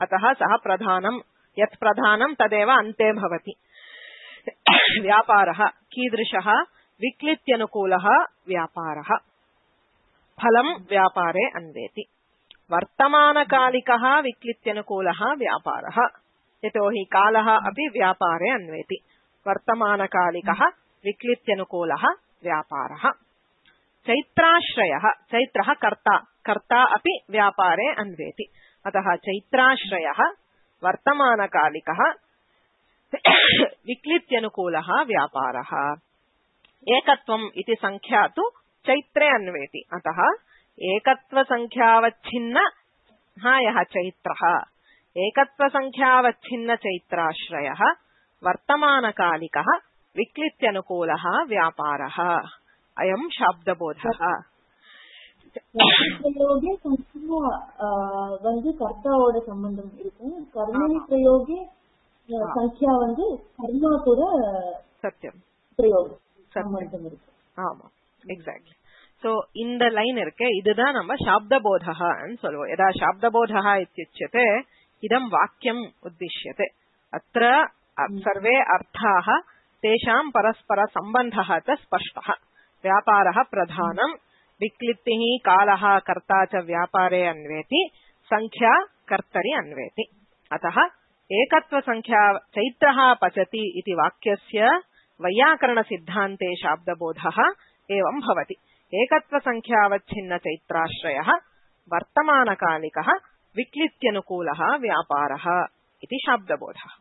अतः सः प्रधानं, यत् प्रधानं तदेव अन्ते भवति। व्यापारः कीदृशः? विक्लित्यनुकूलः व्यापारः। फलं व्यापारे अन्वेति। वर्तमानकालिकः विक्लित्यनुकूलः व्यापारः, यतोहि कालः अपि व्यापारे अन्वेति। वर्तमानकालिकः विक्लित्यनुकूलः व्यापारः। चैत्राश्रयः, चैत्रः कर्ता, कर्ता अपि व्यापारे अन्वेति। अतः चैत्राश्रयः वर्तमानकालिकः विक्लित्यनुकूलः व्यापारः। एकत्वम् इति संख्या तु चैत्रे अन्वेति। अतः एकत्वसंख्यावच्छिन्न यः चैत्रः, एकत्वसंख्यावच्छिन्न चैत्राश्रयः वर्तमानकालिकः विक्लित्यनुकूलः व्यापारः। अयं शाब्दबोधः। பிரயோகே வந்து கர்த்தாவோட சம்பந்தம் இருக்கும். கர்மணி பிரயோகே சங்கியா வந்து கர்மா கூட சத்தியம் பிரயோகம் சம்பந்தம் இருக்கு. ஆமா, எக்ஸாக்ட்லி. சோ இந்த லைன் இருக்கு, இதுதான் நம்ம சாப்தபோதஹன்னு சொல்லுவோம். यदा शाब्दबोधः इत्युच्यते इदं वाक्यम् उद्दिश्यते। अत्र सर्वे अर्थाः तेषां परस्पर सम्बन्धः च स्पष्टः। व्यापारः प्रधानं, विक्लित्तिः कालः कर्ता च व्यापारे अन्वेति, संख्या कर्तरि अन्वेति। अतः एकत्वसंख्या चैत्रः पचति इति वाक्यस्य वैयाकरणसिद्धान्ते शाब्दबोधः एवं भवति। एकत्वसंख्यावच्छिन्न चैत्राश्रयः वर्तमानकालिकः विक्लित्यनुकूलः व्यापारः इति शाब्दबोधः।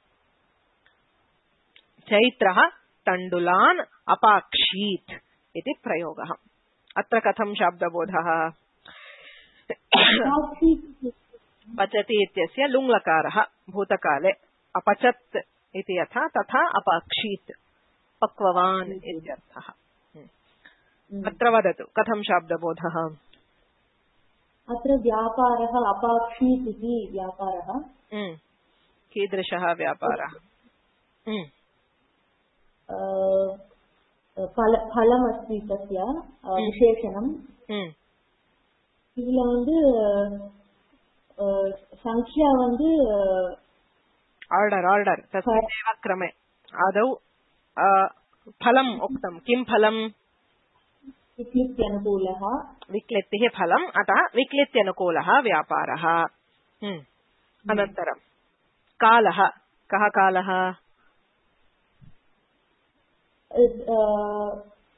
चैत्रः तण्डुलान् अपाक्षीत् इति प्रयोगः। अत्र कथं शाब्दबोधः? पचति इत्यस्य लुङ्लकारः भूतकाले अपचत् इति यथा तथा अपाक्षीत् पक्ववान् इत्यर्थः। अत्र वदतु कथं शाब्दबोधः? अत्र व्यापारः अपाक्षीत् इति व्यापारः। कीदृशः व्यापारः? फलमस्ति तस्य विशेषणं। இதுல வந்து संख्या வந்து आर्डर तस्मिन्नेव क्रमे आदौ फलम् उक्तं। किं फलम्? विक्लित्यनुकूलः। विक्लित्तिः फलम्, अतः विक्लित्यनुकूलः व्यापारः। अनन्तरं कालः। कः कालः?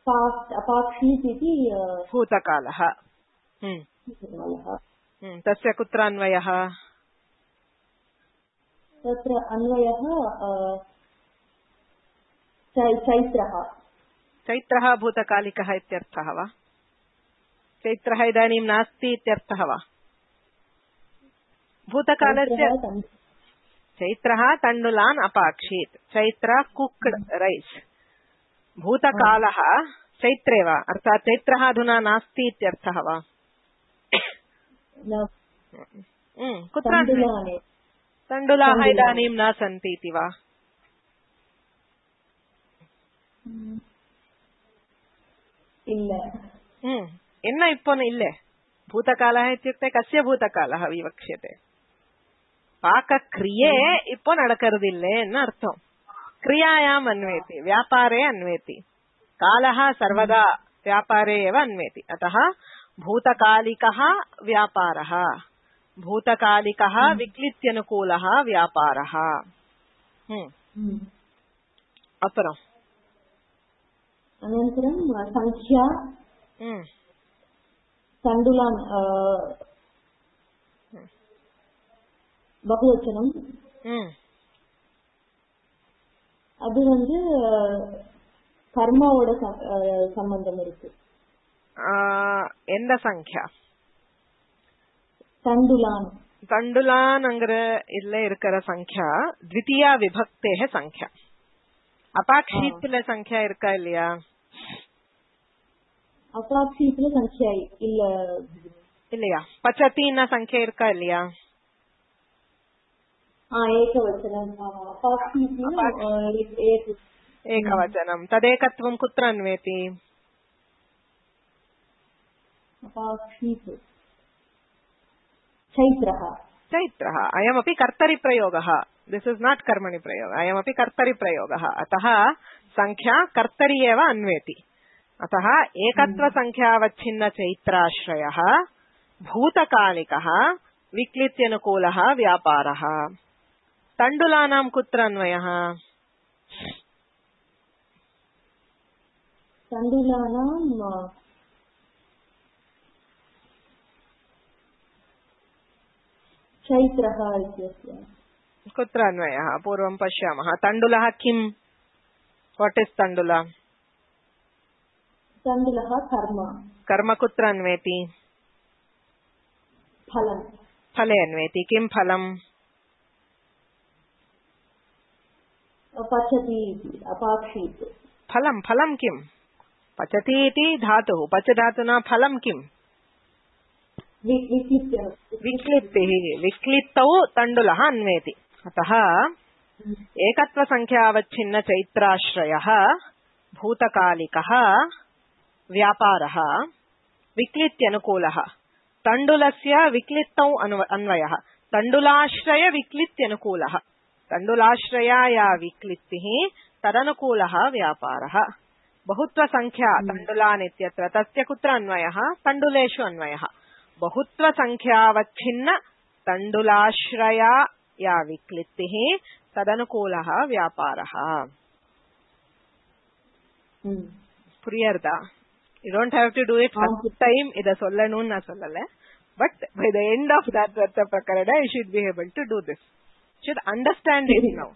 पास्ट अपाक्षीत् इति भूतकालः तस्य कुत्र अन्वयः तत्र अन्वयः चैत्रः चैत्रः भूतकालिकः इत्यर्थः वा चैत्रः इदानीं नास्ति इत्यर्थः वा भूतकालस्य चैत्रः तण्डुलान् अपाक्षीत् चैत्र कुक्ड रैस् भूतकालः चैत्रे वा अर्थात् चैत्रः अधुना नास्ति इत्यर्थः वा कुत्र तण्डुलाः इदानीं न सन्ति इति वा என்ன இப்போ இல்ல भूतकालः इत्युक्ते कस्य भूतकालः विवक्ष्यते पाकक्रिये இப்போ நடக்கிறதில்லை என்ன அர்த்தம் क्रियायाम् अन्वेति व्यापारे अन्वेति कालः सर्वदा व्यापारे एव अन्वेति अतः भूतकालिकः व्यापारः भूतकालिकः विक्लित्यनुकूलः व्यापारः अपरम् अनन्तरं संख्या तण्डुलान् बहुवचनं அது வந்து கர்மாவோட சம்பந்தம் இருக்கு எந்த சங்ख्या தண்டுலான் தண்டுலான்ங்கற இல்ல இருக்கிற சங்ख्या द्वितीया विभक्तेः संख्या அபாக்ஷீத்ல संख्या இருக்கா இல்லையா அபாக்ஷீத்ல संख्या இல்ல இல்லையா பச்சதின संख्या இருக்கா இல்லையா एकवचनम् एकवचनं तदेकत्वं कुत्र अन्वेति चैत्रः चैत्रः अयमपि कर्तरिप्रयोगः दिस् इस् नाट् कर्मणि प्रयोगः अयमपि कर्तरिप्रयोगः अतः संख्या कर्तरि एव अन्वेति अतः एकत्वसंख्यावच्छिन्न चैत्राश्रयः भूतकालिकः विक्लित्यनुकूलः व्यापारः तण्डुलानां कुत्र अन्वयः तण्डुलानां चैत्रः इत्यस्य कुत्र अन्वयः पूर्वं पश्यामः तण्डुलः किं वाट् इस् तण्डुल तण्डुलः कर्म कर्म कुत्र अन्वेति फलं फले अन्वेति किं फलं पचति अपाक्षीत् फलं फलं किं पचति इति धातुः पच धातुना फलं किम् विक्लिप्तिः विक्लिप्तौ तण्डुलः अन्वेति अतः एकत्वसंख्यावच्छिन्न चैत्राश्रयः भूतकालिकः व्यापारः विक्लित्यनुकूलः तण्डुलस्य विक्लिप्तौ अन्वयः तण्डुलाश्रय विक्लित्यनुकूलः तण्डुलाश्रयाया विक्लिप्तिः तदनुकूलः व्यापारः बहुत्वसंख्या तण्डुलान् इत्यत्र तस्य कुत्र अन्वयः तण्डुलेषु अन्वयः बहुत्वसंख्यावच्छिन्न तण्डुलाश्रया या विक्लिप्तिः तदनुकूलः व्यापारः புரியுறதா you don't have to do it first time இத சொல்லணும்னு நான் சொல்லல but by the end of that vartha prakarana you should be able to do this should understand it now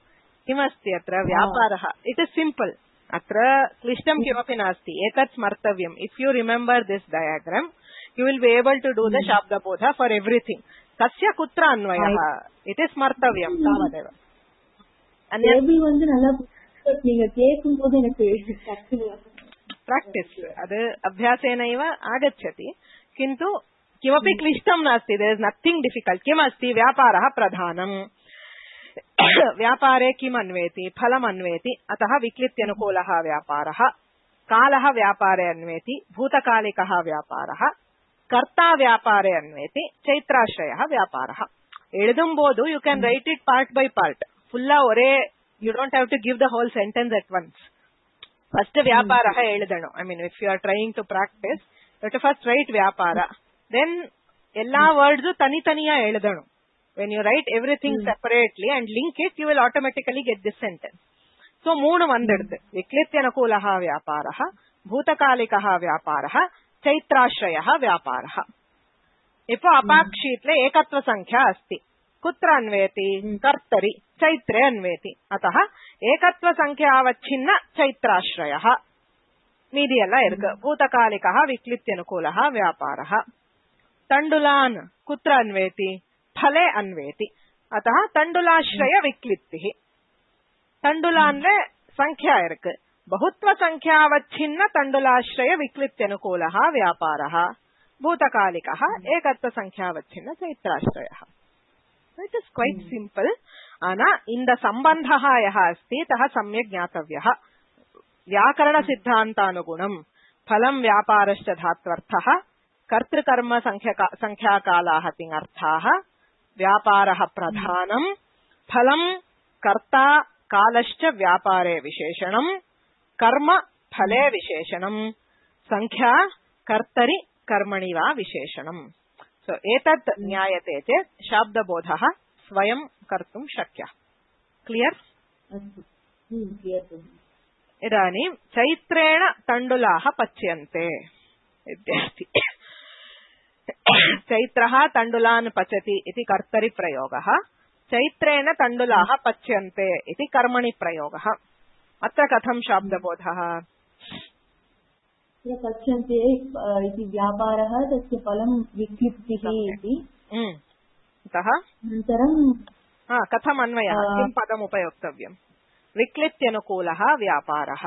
किमस्ति अत्र व्यापारः it is simple अत्र क्लिष्टं किमपि नास्ति एतत् स्मर्तव्यम् if you remember this diagram you will be able to do the shabda bodha for everything कस्य कुत्र अन्वयः it is स्मर्तव्यम् तावदेव अन्यबि வந்து நல்லா நீங்க கேக்கும்போது எனக்கு प्राक्टिस् अद् अभ्यासेनैव आगच्छति किन्तु किमपि क्लिष्टं नास्ति देयर इज नथिंग डिफिकल्ट किमस्ति व्यापारः प्रधानम् व्यापारे किम् अन्वेति फलम् अन्वेति अतः विक्लित्यनुकूलः व्यापारः कालः व्यापारे अन्वेति भूतकालिकः व्यापारः कर्ता व्यापारे अन्वेति चैत्राश्रयः व्यापारः एळुदुम्बोधु you can write it part by part फुल्ला ओरे you don't have to give the whole sentence at once first vyaparaha eludanu I mean if you are trying to practice you have to first write vyapara then ella words tani taniya eludanu when you write everything separately and link it you will automatically get this sentence so moonu vandaduthu viklityanukulaha vyaparaha பூதகாலிகः व्यापारः चैत्राश्रयः व्यापारः Ipoh अपाक्षीत्ले एकत्व संख्या अस्ति कुत्र अन्वेति कर्तरि चैत्रे अन्वेति अतः एकत्व संख्यावच्छिन्न चैत्राश्रयः मीदि एल्ल इरुक्कु भूतकालिकः विक्लित्यनुकूलः व्यापारः तण्डुलान् कुत्र अन्वेति फले अन्वेति अतः तण्डुलाश्रय विक्लित्तिः तण्डुलान्ले संख्या इरुक्कु बहुत्व संख्यावच्छिन्न तण्डुलाश्रय विक्लित्यनुकूलः व्यापारः भूतकालिकः एकत्व संख्यावच्छिन्न चैत्राश्रयः इट इज क्वैट सिंपल आना इंद संबंधः यः अस्ति तः सम्यक् ज्ञातव्यः व्याकरण सिद्धान्तानुगुणं फलं व्यापारश्च धात्वर्थः कर्तृकर्म संख्याकालाः तिङर्थाः व्यापारः प्रधानं फलं कर्ता कालश्च व्यापारे विशेषणं कर्म फले विशेषणं संख्या कर्तरि कर्मणि वा विशेषणम् सो एतत् ज्ञायते चेत् शाब्दबोधः स्वयं कर्तुं शक्यः क्लियर् इदानीं चैत्रेण तण्डुलाः पच्यन्ते इत्यस्ति चैत्रः तण्डुलान् पचति इति कर्तरि प्रयोगः चैत्रेण तण्डुलाः पच्यन्ते इति कर्मणि प्रयोगः अत्र कथं शाब्दबोधः पच्यन्ते इति व्यापारः तस्य फलं विक्लिप्तिः इति अतः अनन्तरं कथम् अन्वयः किं पदम् उपयोक्तव्यम् विक्लित्यनुकूलः व्यापारः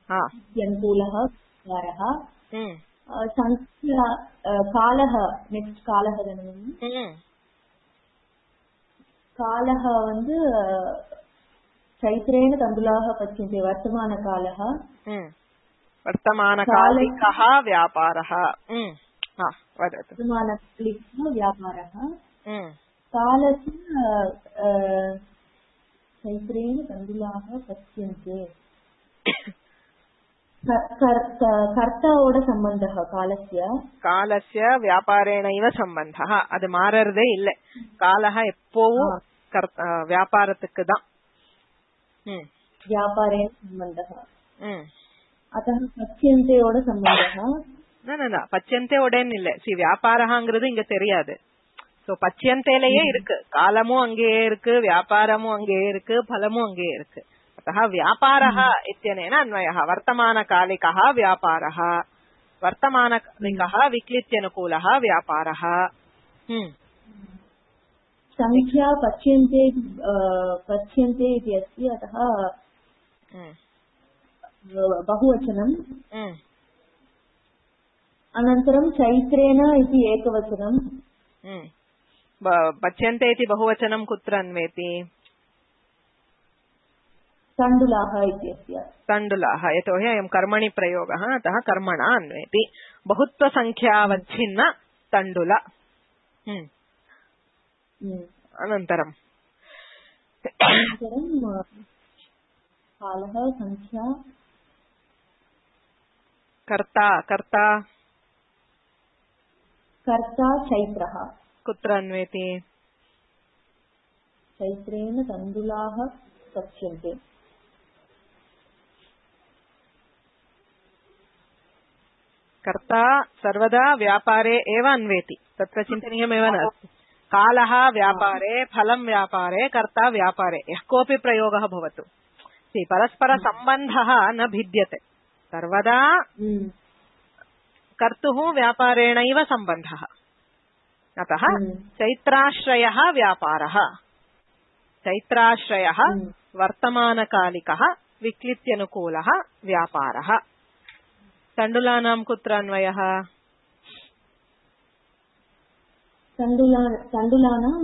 अनुकूलः व्यापारः संख्या कालः नेक्स्ट कालः कालः வந்து चैत्रेण तण्डुलाः पच्यन्ते वर्तमानकालः वर्तमानकालिकः व्यापारः वदतु वर्तमानकालिकः व्यापारः कालस्य चैत्रेण तण्डुलाः पच्यन्ते कर्तावोड सम्बन्धः कालस्य व्यापारेणैव सम्बन्धः அது மாறறதே இல்ல காலः எப்பவும் व्यापारத்துக்கு தான் व्यापारेण सम्बन्धः अतः पच्यन्तेயோட सम्बन्धः न பச்சந்தேயோடன்னு இல்ல வியாபாரங்கிறது இங்க தெரியாது சோ பச்சந்தேலயே இருக்கு காலமும் அங்கேயே இருக்கு வியாபாரமும் அங்கேயே இருக்கு பலமும் அங்கேயே இருக்கு अतः व्यापारः इत्यनेन अन्वयः वर्तमानकालिकः व्यापारः वर्तमानकालिकः विक्लित्यनुकूलः व्यापारः संख्या पच्यन्ते इति अस्ति अतः बहुवचनम् अनन्तरं चैत्रेण इति एकवचनं पच्यन्ते इति बहुवचनं कुत्र अन्वेति तण्डुलाः इत्यस्य तण्डुलाः यतोहि अयं कर्मणि प्रयोगः अतः कर्मणा अन्वेति बहुत्वसङ्ख्यावच्छिन्न तण्डुल अनन्तरं कालः संख्या कर्ता चैत्रः कुत्र अन्वेति चैत्रेण तण्डुलाः पच्यन्ते कर्ता सर्वदा व्यापारे एव अन्वेति तत्र चिन्तनीयमेव नास्ति कालः व्यापारे फलं व्यापारे कर्ता व्यापारे यः कोऽपि प्रयोगः भवतु परस्परसम्बन्धः न भिद्यते सर्वदा कर्तुः व्यापारेणैव सम्बन्धः अतः चैत्राश्रयः व्यापारः चैत्राश्रयः वर्तमानकालिकः विक्लित्यनुकूलः व्यापारः तण्डुलानां कुत्र अन्वयः तण्डुलानां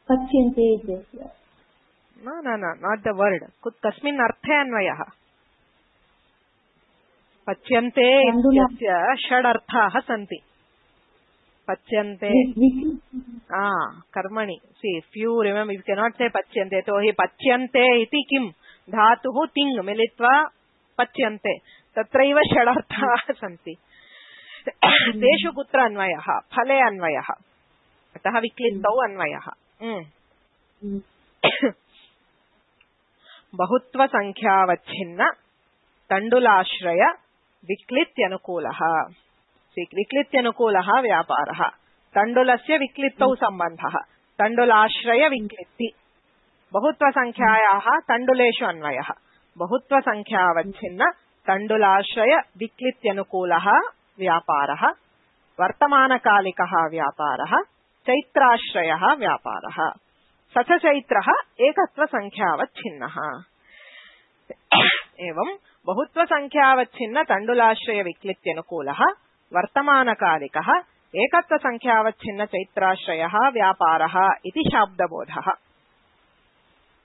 पच्यन्ते इत्यस्य न नाट् द वर्ड् कस्मिन् अर्थे अन्वयः पच्यन्ते इत्यस्य षड् अर्थाः सन्ति पच्यन्ते कर्मणि see if you remember you can not say पच्यन्ते तो हि पच्यन्ते इति किं धातुः तिङ् मिलित्वा पच्यन्ते तत्रैव षडर्थाः सन्ति तेषु कुत्र अन्वयः फले अन्वयः अतः विक्लिप्तौ अन्वयः बहुत्वसङ्ख्यावच्छिन्न तण्डुलाश्रय विक्लित्यनुकूलः विक्लित्यनुकूलः व्यापारः तण्डुलस्य विक्लित्तौ सम्बन्धः तण्डुलाश्रय विक्लित्ति बहुत्वसङ्ख्यायाः तण्डुलेषु अन्वयः बहुत्वसङ्ख्यावच्छिन्न तण्डुलाश्रय विक्लित्यनुकूलः व्यापारः वर्तमानकालिकः व्यापारः चैत्राश्रयः व्यापारः स च चैत्रः एकत्वसङ्ख्यावच्छिन्नः एवं बहुत्वसङ्ख्यावच्छिन्न तण्डुलाश्रय विक्लित्यनुकूलः वर्तमानकालिकः एकत्वसङ्ख्यावच्छिन्न चैत्राश्रयः व्यापारः इति शाब्दबोधः.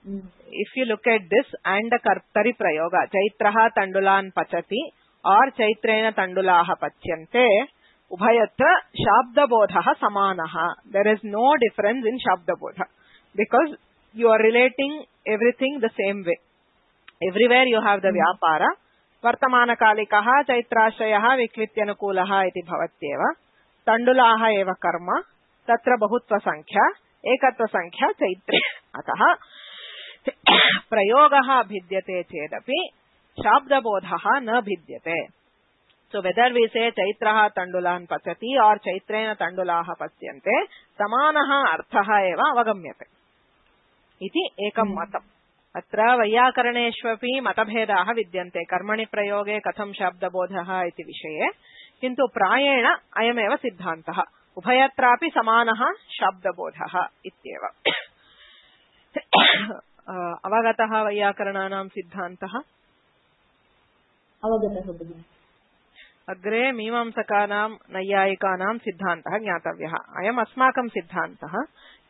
If you look at this and the kartari prayoga, chaitraha tandulan pachati or chaitrena tandulaha pachyante, ubhayatra shabdabodhaha samanaha. There is no difference in shabdabodha because you are relating everything the same way. Everywhere you have the vyapara. Vartamana kalikaha chaitrashayaha viklityanukulaha iti bhavatyeva. Tandulaha eva karma. Tatra bahutva sankhya. Ekatva sankhya chaitre. Ataha प्रयोगः भिद्यते चेदपि शाब्दबोधः न भिद्यते. So whether we say चैत्रः तण्डुलान् पचति और चैत्रेण तण्डुलाः पच्यन्ते समानः अर्थः एव अवगम्यते इति एकं मतम्. अत्र वैयाकरणेष्वपि मतभेदाः विद्यन्ते कर्मणि प्रयोगे कथं शाब्दबोधः इति विषये. किन्तु प्रायेण अयमेव सिद्धान्तः उभयत्रापि समानः शाब्दबोधः इत्येव. अवगतः वैयाकरणानां सिद्धान्तः अवगतः भगिनी. अग्रे मीमांसकानां नैयायिकानां सिद्धान्तः ज्ञातव्यः. अयम् अस्माकं सिद्धान्तः.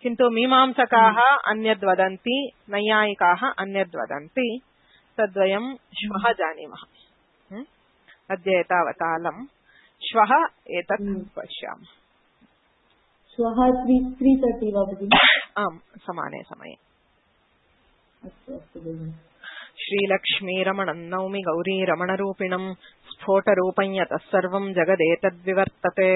किन्तु मीमांसकाः अन्यद् वदन्ति नैयायिकाः अन्यद् वदन्ति. तद्वयं श्वः जानीमः. अद्य एतावतालं. श्वः एतत् पश्यामः. श्वः 3:30 वा भगिनी? आम्, समाने समये. अस्तु भगिनी. श्रीलक्ष्मीरमणं नौमि गौरीरमणरूपिणं स्फोटरूपं यतः सर्वं जगदेतद्विवर्तते.